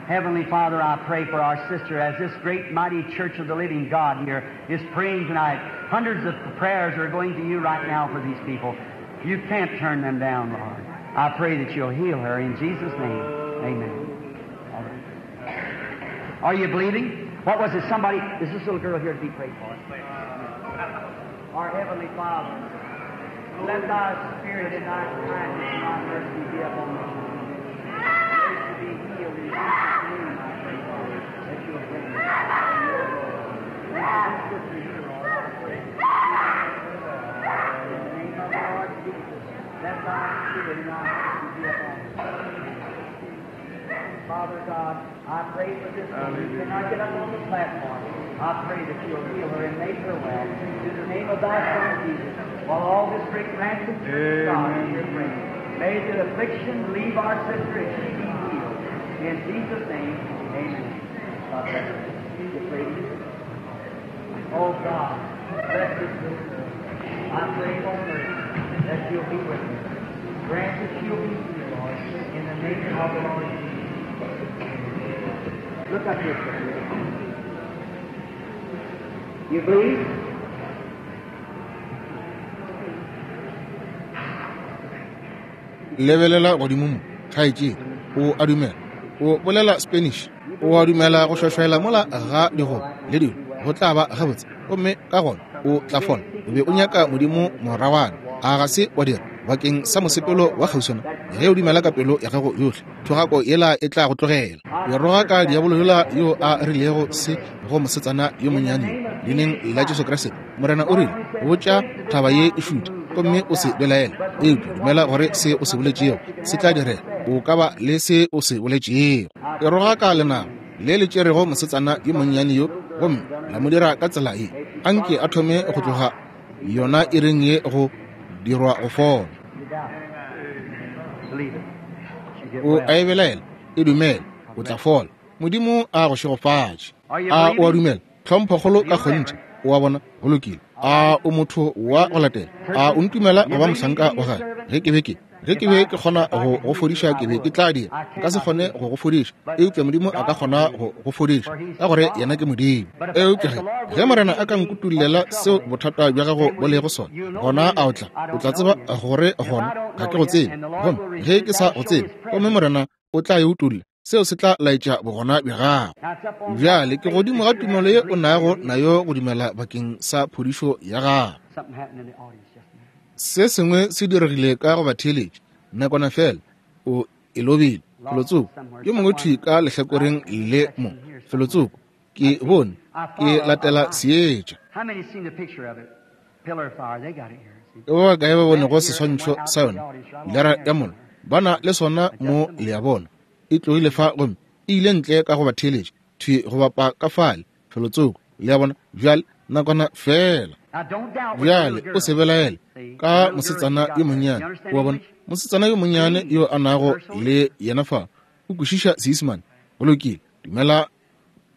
Heavenly Father, I pray for our sister as this great mighty church of the living God here is praying tonight. Hundreds of prayers are going to you right now for these people. You can't turn them down, Lord. I pray that you'll heal her in Jesus' name. Amen. All right. Are you believing? What was it? Somebody, is this little girl here to be prayed for? Our Heavenly Father, let thy Spirit and thy kindness and thy mercy be upon us. May she be healed in Jesus' name, I pray, Father, that you'll bring her in your glory. And for this sister here, Lord, I pray. In the name of the Lord Jesus, let thy Spirit and thy mercy be upon us. Father God, I pray for this woman who cannot get up on the platform. I pray that you'll heal her and make her well. In the name of thy Son, Jesus, while all this great ransom church of God is here praying. May the affliction leave our sister and she be healed. In Jesus' name, amen. God bless you. This lady. Oh God, bless this little girl. I pray for mercy that you'll be with her. Grant that she'll be healed, Lord, in the name of the Lord Jesus. Look up here, sister. You believe? Lebelela godimo mo, kgaetšedi, o a dumela. O bolela Spanish. O a dumela go šwašwaela mola ga digoba le dilo go tla ba gabotse, gomme ka gona o tla fola. O be o nyaka Modimo morawana, a ga se wa dira bakeng sa mosepelo wa kgauswana? Ge o dumela ka pelo ya gago yohle, thogako yela e tla go tlogela. O roga ka diabolo yola yo a rilego se go mosetsana yo monnyane leineng la Jesu Kriste. Morena o rile, botša thaba ye e šute, gomme o se belaele, eupša dumela gore se o se boletšego se tla direga. O ka ba le se o se boletšego. E roga ka lenaba le le tšerego mosetsana yo monnyane yo, gomme la mo dira ka tsela ye. Anke a thome go tloga yona iring ye go dirwa go fola. O a e belaela, e dumele, o tla fola. Modimo a go šegofatše. A o a dumela? Tlhomphokgolo ka kgonthe. O a bona? Go lokile. A o motho wa go latela? A o ntumela go ba mohlanka wa gagwe? Ge ke be ke ge ke be ke kgona go go fodiša, ke be ke tla dira. Nka se kgone go go fodiša, eupša Modimo a ka kgona go go fodiša, ka gore yena ke Modimo. Eupša ge ge Morena a ka nkutullela seo bothata bja gago bo lego sona, gona a o tla o tla tseba gore gona ga ke go tsebe. Gomme ge ke sa go tsebe, gomme Morena o tla e utulla, seo se tla laetša bogona bja gago. Bjale ke godimo ga tumelo ye o nago nayo go dumela bakeng sa phodišo ya gago. Se sengwe se diregile ka go batheeletši nakwana fela, o e lobile felotsoko. Yo mongwe thwi ka lehlakoreng le mo felotsoko, ke bone ke latela seetša. Ke ba bakae ba bonego seswantšho sa yona? Pilara ya mollo, ba na le sona mo, le a bona. E tlogile fa gomme e ile ntle ka go batheeletši thwi go bapa ka fale felotsoko, le a bona. Bjale nakwana fela. Bjale o se belaele ka mosetsana yo monnyane. O a bona, mosetsana yo monnyane yo a nago le yena fa o kwešiša Seisemane. Go lokile, dumela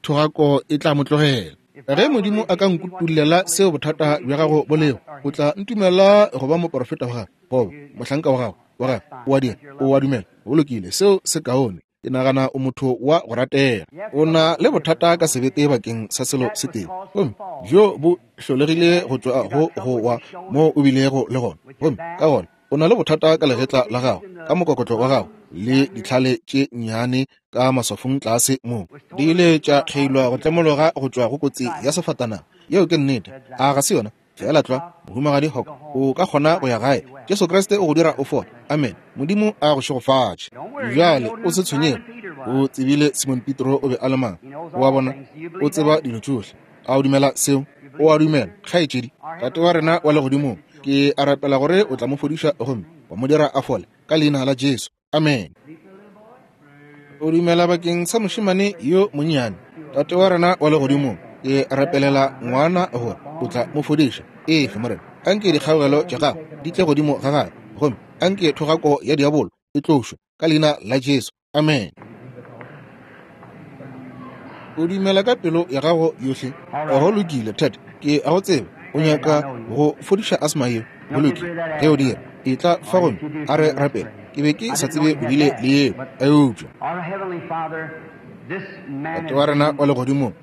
thogako e tla mo tlogela. Ge Modimo a ka nkutullela seo bothata bja gago bo lego, o tla ntumela go ba moporofeta wa gagwe goba mohlanka wa gago wa gagwe. O a dira? O a dumela? Go lokile, seo se kaone. Ke nagana o motho wa go ratega. O na le bothata ka sebete bakeng sa selo se tee, gomme bjo bo hlolegile go tšwa go go wa mo o bilego le gona. Gomme ka gona o na le bothata ka legetla la gago, ka mokokotlo wa gago, le ditlhale tše nnyane ka maswafong tlase mo di ile tša kgeilwa go tlemologa go tšwa go kotsi ya sefatanaga. Yeo ke nnete, a ga se yona? Feela tlwa, Mohumagadi Hawk, o ka kgona go ya gae. Jesu Kriste o go dira o fole. Amen. Modimo a go šegofatše. Bjale o se tshwenyege. O tsebile Simon Petro o be a le mang. O a bona, o tseba dilo tšohle. A o dumela seo? O a dumela, kgaetšedi. Tate wa rena wa legodimong, ke a rapela gore o tla mo fodiša gomme wa mo dira a fole ka leina la Jesu. Amen. O dumela bakeng sa mošemane yo monnyane. Tate wa rena wa legodimong, ke rapelela ngwana gore o tla mo fodiša. Efe Morena, anke dikgaogelo tša gago di tle godimo ga gagwe, gomme anke thogako ya diabolo e tlošwe ka leina la Jesu. Amen. O dumela ka pelo ya gago yohle. Go lokile, Tate, ke a go tseba. O nyaka go fodiša asma yeo. Go lokile, ge o dira, e tla fa gomme a re rapele. Ke be ke sa tsebe o bile le yeo, eupša Tate wa rena wa legodimong,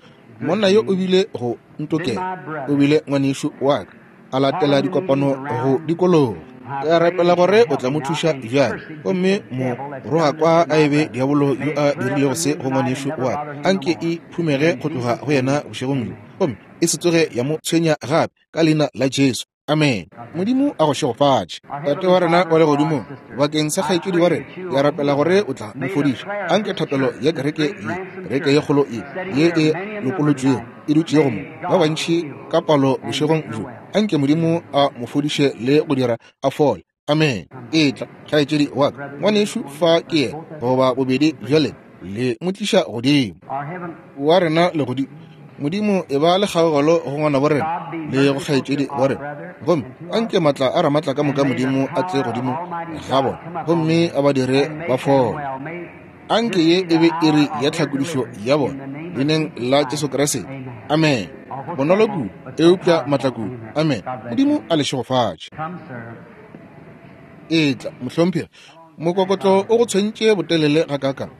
monna yo o bile go ntokela, o bile ngwanešu wa ka, a latela dikopano go dikologa. Ke a rapela gore o tla mo thuša bjale, gomme mo roga kwa a ebe diabolo yo a dirilego se go ngwanešu wa ka. Anke e phumege go tloga go yena bošegong bjo, gomme e se tsoge ya mo tshwenya gape ka leina la Jesu. Amen. Modimo a go šegofatše. Tate wa rena wa legodimong, bakeng sa kgaetšedi wa rena, ke a rapela gore o tla mo fodiša. Anke thapelo ya kereke ye, kereke ye kgolo ye, ye e lopolotšwego, e dutšego mo, ba bantši ka palo bošegong bjo, anke Modimo a mo fodiše le go dira a fole. Amen. Etla, kgaetšedi wa ka, ngwanešu fa ke yena, goba bobedi bja lena, le mo tliša godimo. Wa rena legodimo, Modimo e ba le kgaogelo go ngwana bo rena le go kgaetšedi wa rena, gomme anke matla a ramatla ka moka Modimo a tle godimo ga bona, gomme a ba dire ba fole. Anke ye e be iri ya tlhakodišo ya bona, leineng la Jesu Kriste. Amen. Bonolo kudu, eupša matla kudu. Amen. Modimo a le šegofatše. Etla, mohlomphegi. Mokokotlo o go tshwentše botelele gakaakang,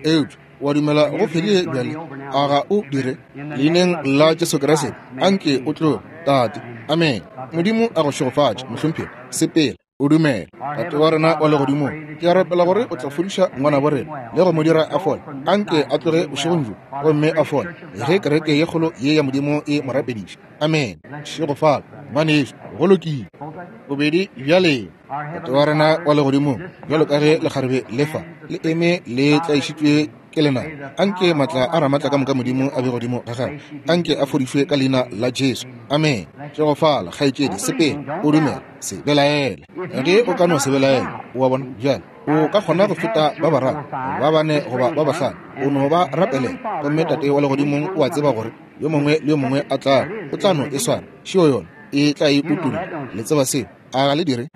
eupša wa dumela go fedile bjale, a ga o dire? Leineng la Jesu Kriste, anke o tloge, Tate. Amen. Modimo a go šegofatše, mohlomphegi. Sepela, o dumela. Tate wa rena wa legodimong, ke a rapela gore o tla fodiša ngwana bo rena le go mo dira a fole. Anke a tloge bošegong bjo gomme a fole, ge kereke ye kgolo ye ya Modimo e mo rapediša. Amen. Šegofala, ngwanešu, go lokile. Bobedi bjale. Tate wa rena wa legodimong, bjalo ka ge lekgarebe le fa le eme le tlaišitšwe ke lena, anke matla a ramatla ka moka Modimo a be godimo ga gagwe. Anke a fodišwe ka leina la Jesu. Amen. Tšegofala, kgaetšedi, sepela, o dumela, se belaele. Ge o ka no se belaele, o a bona bjale, o ka kgona go feta ba bararo, ba bane goba ba bahlano, o no ba rapelela. Gomme Tate wa legodimong o a tseba gore yo mongwe le yo mongwe a tla, o tla no e swara. Šio yona e tla e utolla. Le tseba seo, a ga le dire?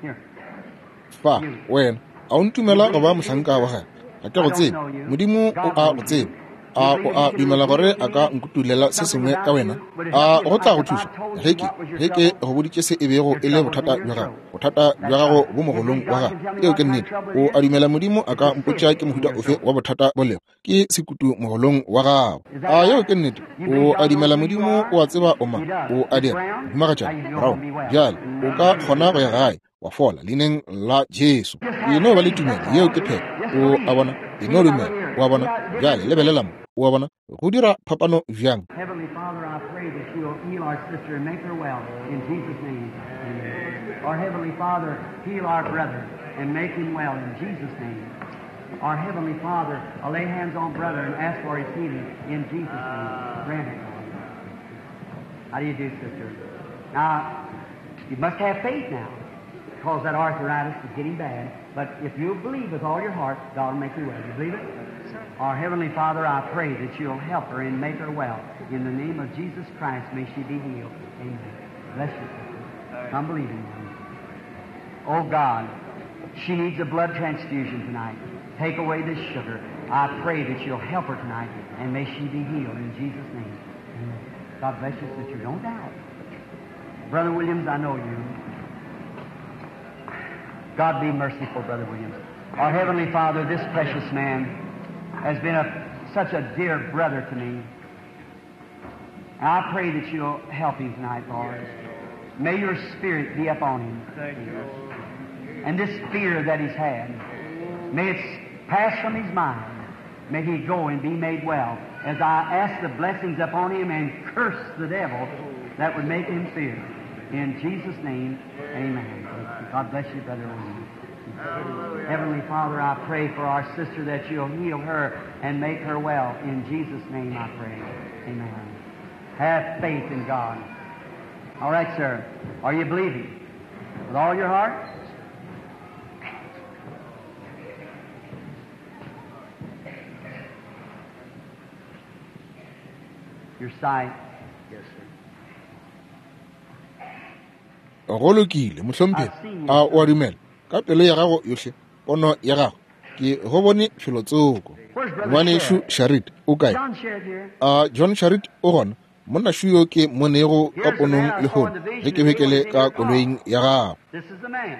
Fa, wena, a o ntumela go ba mohlanka wa gagwe? Ga ke go tsebe. Modimo o a go tseba. A o a dumela gore a ka nkutulela se sengwe ka wena? A go tla go thuša ge ke ge ke go boditše se e bego e le bothata bja gago? Bothata bja gago bo mogolong wa gago. Eo ke nnete. O a dumela Modimo a ka mpotša ke mohuta ofe wa bothata bo lego? Ke sekutu mogolong wa gago. A yeo ke nnete. O a dumela Modimo o a tseba o mang? O a dira. Mohumagatšana Brown, bjale o ka kgona go ya gae wa fola leineng la Jesu. E no ba le tumelo, yeo ke phetho. O a bona, e no dumela. O a bona, bjale lebelela mo. O a bona, go dira phapano bjang? Heavenly Father, I pray that you will heal our sister and make her well in Jesus' name. Amen. Our Heavenly Father, heal our brother and make him well in Jesus' name. Our Heavenly Father, I lay hands on brother and ask for his healing in Jesus' name. Grant it, Lord. How do you do, sister? Now, you must have faith now, because that arthritis is getting bad. But if you believe with all your heart, God will make you well. You believe it? Our Heavenly Father, I pray that you'll help her and make her well. In the name of Jesus Christ, may she be healed. Amen. Bless you, sister. I'm believing you. Oh, God, she needs a blood transfusion tonight. Take away this sugar. I pray that you'll help her tonight, and may she be healed in Jesus' name. Amen. God bless you, sister. Don't doubt. Brother Williams, I know you. God be merciful, Brother Williams. Our Heavenly Father, this precious man has been a, such a dear brother to me. And I pray that you'll help him tonight, Lord. May your Spirit be upon him. Thank you. And this fear that he's had, may it pass from his mind. May he go and be made well. As I ask the blessings upon him and curse the devil that would make him fear. In Jesus' name, amen. God bless you, Brother O'Neill. Heavenly Father, I pray for our sister that you'll heal her and make her well. In Jesus' name I pray. Amen. Have faith in God. All right, sir. Are you believing? With all your heart? Your sight. Yes, sir. Go lokile, mohlomphegi. A o a dumela ka pelo ya gago yohle, pono ya gago? Ke go bone felotsoko. Ngwanešu Sharit o kae? John Sherrod here. A John Sharit o gona? Monna šo yo ke mmonego ka ponong lehono ge ke be ke le ka koloing ya gago. This is the man.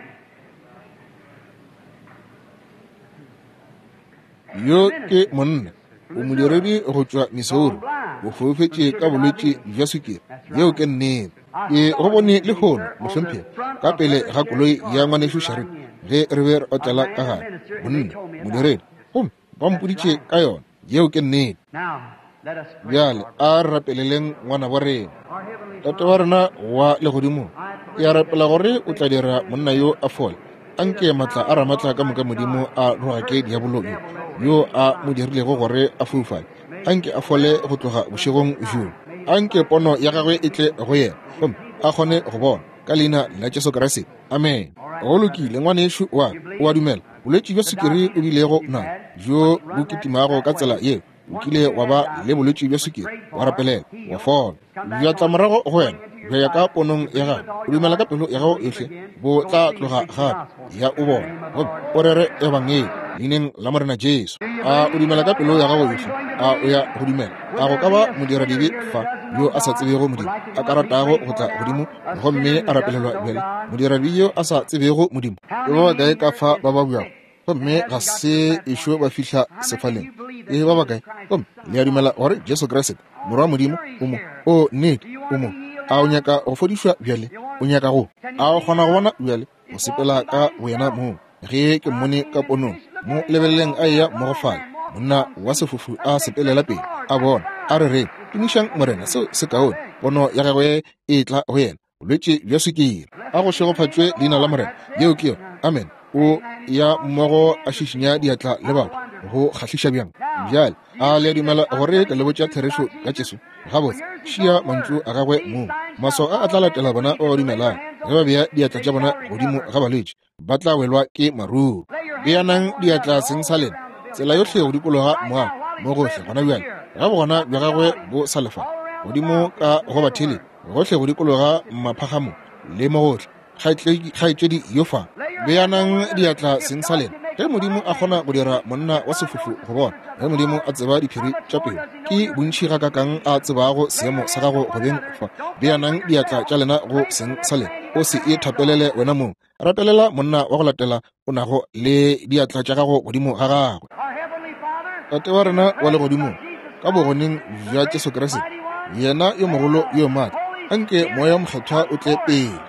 Yo ke monna, o modiredi go tšwa Missouri, o foufetše ka bolwetši bja sukiri. Yeo ke nnete. Ke go bone lehono, mohlomphegi, ka pele ga koloi ya ngwanešu Sharit ge re be re otlela ka gare. Monna, modiredi, gomme ba mpoditše ka yona. Yeo ke nnete. Now, let us pray. Bjale a re rapeleleng ngwana wa rena. Our Heavenly Tate wa rena wa legodimong, ke a rapela gore o tla dira monna yo a fole. Anke matla a ramatla ka moka Modimo a rogake diabolo yo, yo a mo dirilego gore a foufale. Anke a fole go tloga bošegong bjo. Anke pono ya gagwe e tle go yena, gomme a kgone go bona, ka leina la Jesu Kriste. Amen. Go lokile, ngwanešu wa ka, o a dumela. Bolwetši bja sukiri o bilego nabo, bjo bo kitimago ka tsela yeo, o kile wa ba le bolwetši bja sukiri, wa rapelela, wa fola. Bja tla morago go wena, bja ya ka ponong ya gago. O dumela ka pelo ya gago yohle, bo tla tloga gape, ya o bona, gomme o rere ebangedi leineng la Morena Jesu. A o dumela ka pelo ya gago yohle? A o ya go dumela? A go ka ba modiradibe fa yo a sa tsebego Modimo, a ka ratago go tla godimo gomme a rapelelwa bjale? Modiradibe yo a sa tsebego Modimo, ke ba bakae ka fa ba ba bjago gomme ga se ešo ba fihla sefaleng? E ba bakae? Gomme le a dumela gore Jesu Kriste Morwa wa Modimo o mo? O nnete, o mo. A o nyaka go fodišwa bjale? O nyaka go? A o kgona go bona bjale? O sepela ka boyena moo. Ge ke mmone ka ponong, mo lebeleleng a eya mo go fale, monna wa sefofu a sepelela pele, a bona, a re reng, tumišang Morena, seo se kaone. Pono ya gagwe e tla go yena, bolwetši bja sukiri. A go šegofatšwe leina la Morena. Yeo ke yona. Amen. O ya mmogo a šišinya diatla le batho, go kgahliša bjang. Bjale a le a dumela gore ke le botša therešo ka Jesu? Gabotse, šia mantšu a gagwe mong. Maswao a a tla latela bona ba ba dumelang. Ge ba bea diatla tša bona godimo ga balwetši, ba tla welwa ke maruru. Beanang diatla seng sa lena tsela yohle go dikologa moago mo gohle gona bjale, ga bogona bja gagwe bo sa lefa godimo ka go bathele, gohle go dikologa maphagamo le mo gohle. Kgaetšedi yo fa, beanang diatla seng sa lena. Ge Modimo a kgona go dira monna wa sefofu go bona, ge Modimo a tseba diphiri tša pelo, ke bontši gakakang a tsebago seemo sa gago go beng fa. Beanang diatla tša lena go seng sa lena. O se e thapelele wena mong. Rapelela monna wa go latela o nago le diatla tša gago godimo ga gagwe. Our Heavenly Father, Tate wa rena wa legodimong, ka bogoneng bja Jesu Kriste, yena yo mogolo yo maatla, anke Moya Mokgethwa o tle pele.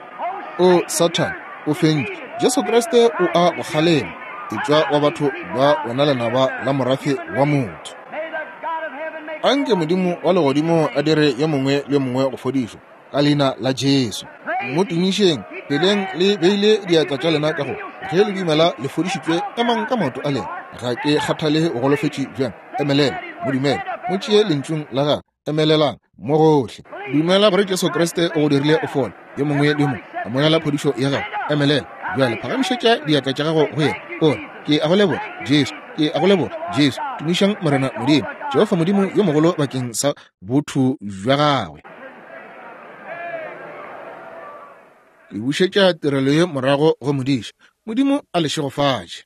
O Satan, o fentše. Jesu Kriste o a go kgalema. Etšwa wa batho ba wena lenaba la morafe wa motho. may the God of heaven make Anke Modimo wa legodimo a dire yo mongwe le yo mongwe go fodišwa ka leina la Jesu. Mo tumišeng, peleng le beile diatla tša lena ka go. Ge le dumela le fodišitšwe, emang ka maoto a lena. Ga ke kgathale o golofetše bjang. Emelela, mo dumele, mo tšee lentšung la gagwe. Emelelang mo gohle. Dumela gore Jesu Kriste o go dirile o fole. Yo mongwe le yo mongwe amogela phodišo ya gago. Emelela bjale, phagamišetša diatla tša gago go yena. O re, ke a go leboga Jesu, ke a go leboga Jesu. Tumišang Morena Modimo, Jehofa Modimo yo mogolo bakeng sa botho bja gagwe. Ke bušetša tirelo ye morago go modiša. Modimo a le šegofatše.